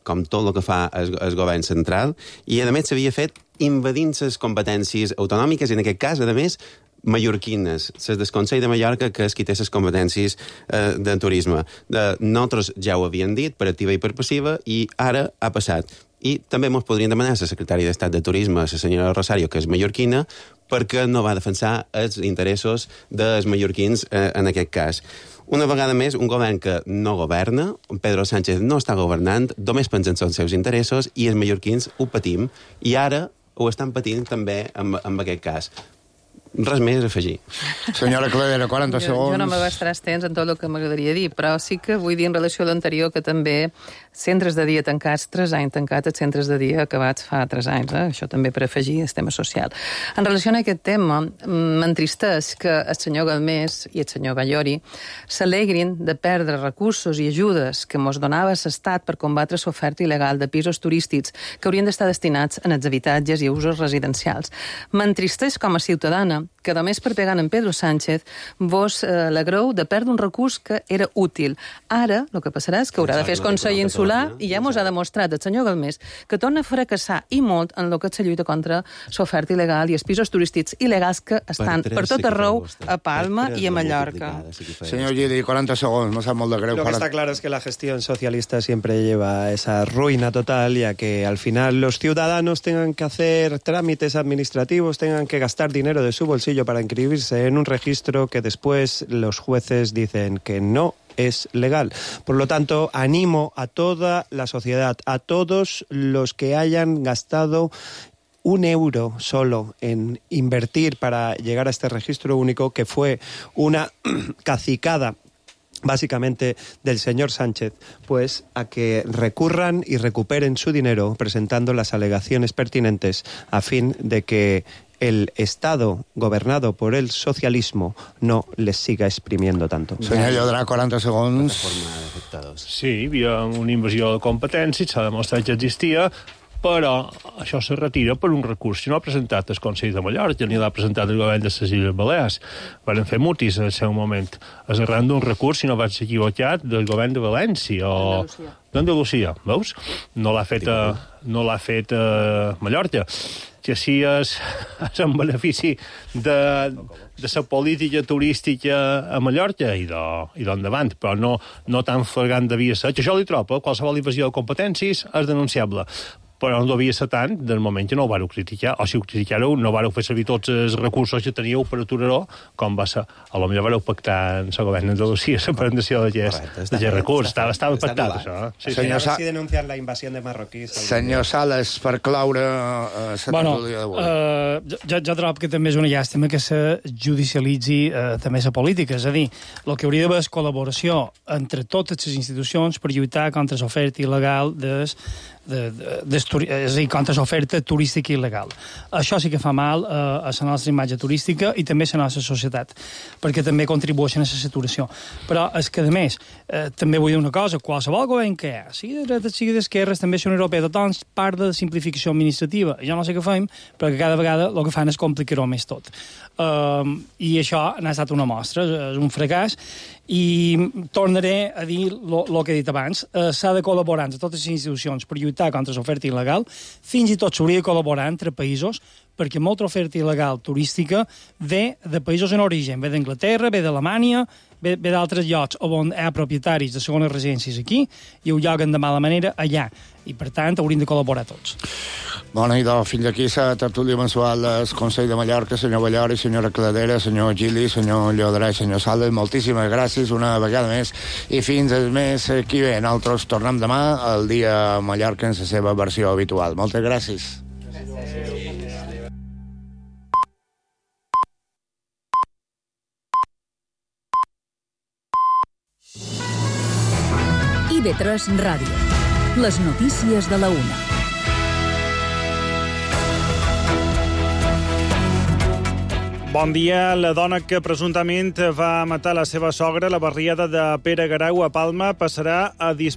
com tot el que fa el, el govern central, i a més s'havia fet invadint les competències autonòmiques, i en aquest cas, a més, mallorquines, les del Consell de Mallorca, que és qui té les competències eh, de turisme. De, nosaltres ja ho havíem dit, per activa i per passiva, i ara ha passat. I també ens podrien demanar a la secretària d'Estat de Turisme, la senyora Rosario, que és mallorquina, perquè no va defensar els interessos dels mallorquins eh, en aquest cas. Una vegada més, un govern que no governa, Pedro Sánchez no està governant, només pensen en els seus interessos i els mallorquins ho patim, i ara ho estan patint també amb, amb aquest cas. Res més a afegir. Senyora Cladera, quaranta jo, segons. Jo no m'abastaré extens en tot el que m'agradaria dir, però sí que vull dir en relació a l'anterior que també centres de dia tancats, tres anys tancats, els centres de dia acabats fa tres anys, eh? Això també per afegir el tema social. En relació a aquest tema, m'entristeix que el senyor Galmés i el senyor Vallori s'alegrin de perdre recursos i ajudes que mos donava l'Estat per combatre l'oferta il·legal de pisos turístics que haurien d'estar destinats en els habitatges i usos residencials. M'entristeix com a ciutadana que només per pegar en Pedro Sánchez vos eh, alegreu de perdre un recurs que era útil. Ara, el que passarà és que haurà de fer el Consell Insular i ja mos ha demostrat el senyor Galmés que torna a fracassar i molt en el que és la lluita contra l'oferta il·legal i els pisos turístics il·legals que estan per, per tot arreu a Palma i a Mallorca. Señor Gili, quaranta segons, no sap molt de greu. Lo que está claro es que la gestión socialista siempre lleva a esa ruina total y a que al final los ciudadanos tengan que hacer trámites administrativos, tengan que gastar dinero de su bolsillo bolsillo para inscribirse en un registro que después los jueces dicen que no es legal. Por lo tanto, animo a toda la sociedad, a todos los que hayan gastado un euro solo en invertir para llegar a este registro único, que fue una cacicada básicamente del señor Sánchez, pues a que recurran y recuperen su dinero presentando las alegaciones pertinentes a fin de que el Estado gobernado por el socialismo no les siga exprimiendo tanto. Senyor Llodrà, quaranta segons. Sí, hi havia una invasió de competències, s'ha demostrat que existia, però això se retira per un recurs que no ha presentat el Consell de Mallorca, ni l'ha presentat el govern de les Illes Balears. Van fer mutis en el seu moment. És arran d'un recurs, si no vaig equivocat, del govern de València o d'Andalusia, veus? No l'ha fet, no l'ha fet a Mallorca. Que sí és, és en benefici de, de la política turística a Mallorca i d'endavant, però no, no tan flagrant devia ser. Que això li troba, qualsevol invasió de competències és denunciable, però no devia ser tant del moment que no ho vareu criticar, o si ho criticareu no vareu fer servir tots els recursos que teníeu per aturar-ho, com va ser. A lo millor vareu pactar en el govern d'Andalusia la presentació d'aquest recurs. Estava, estava pactat, això. Sí, sí. Sa... si denuncian la invasió de marroquís. Senyor Sales, per claure la bueno, tertúlia d'avui. Uh, jo, jo trobo que també és una llàstima que se judicialitzi uh, també la política. És a dir, el que hauria d'haver és col·laboració entre totes les institucions per lluitar contra l'oferta il·legal des De, de, de, és a dir, contra l'oferta turística il·legal. Això sí que fa mal eh, a la nostra imatge turística i també a la nostra societat, perquè també contribueixen a la saturació. Però és que, a més, eh, també vull dir una cosa, qualsevol govern que hi ha, sigui de dreta, sigui d'esquerres, també són europeus, tothom parla de simplificació administrativa. Jo no sé què fem, però que cada vegada el que fan és complicar-ho més tot. Um, I això n'ha estat una mostra, és un fracàs, i tornaré a dir el que he dit abans. Uh, s'ha de col·laborar entre totes les institucions per lluitar contra l'oferta il·legal, fins i tot s'hauria de col·laborar entre països, perquè molta oferta il·legal turística ve de països en origen, ve d'Anglaterra, ve d'Alemanya, ve, ve d'altres llocs on hi ha propietaris de segones residències aquí i ho lloguen de mala manera allà. I, per tant, hauríem de col·laborar tots. Bona nit, fins aquí la tertúlia mensual del Consell de Mallorca, senyor Ballori, senyora Cladera, senyor Gili, senyor Llodrà i senyor Sales. Moltíssimes gràcies una vegada més i fins el mes que ve. Nosaltres tornem demà al dia Mallorca en la seva versió habitual. Moltes gràcies. I V tres Ràdio. Les notícies de la una. Bon dia. La dona que presumptament va matar la seva sogra a la barriada de Pere Garau a Palma passarà a disposició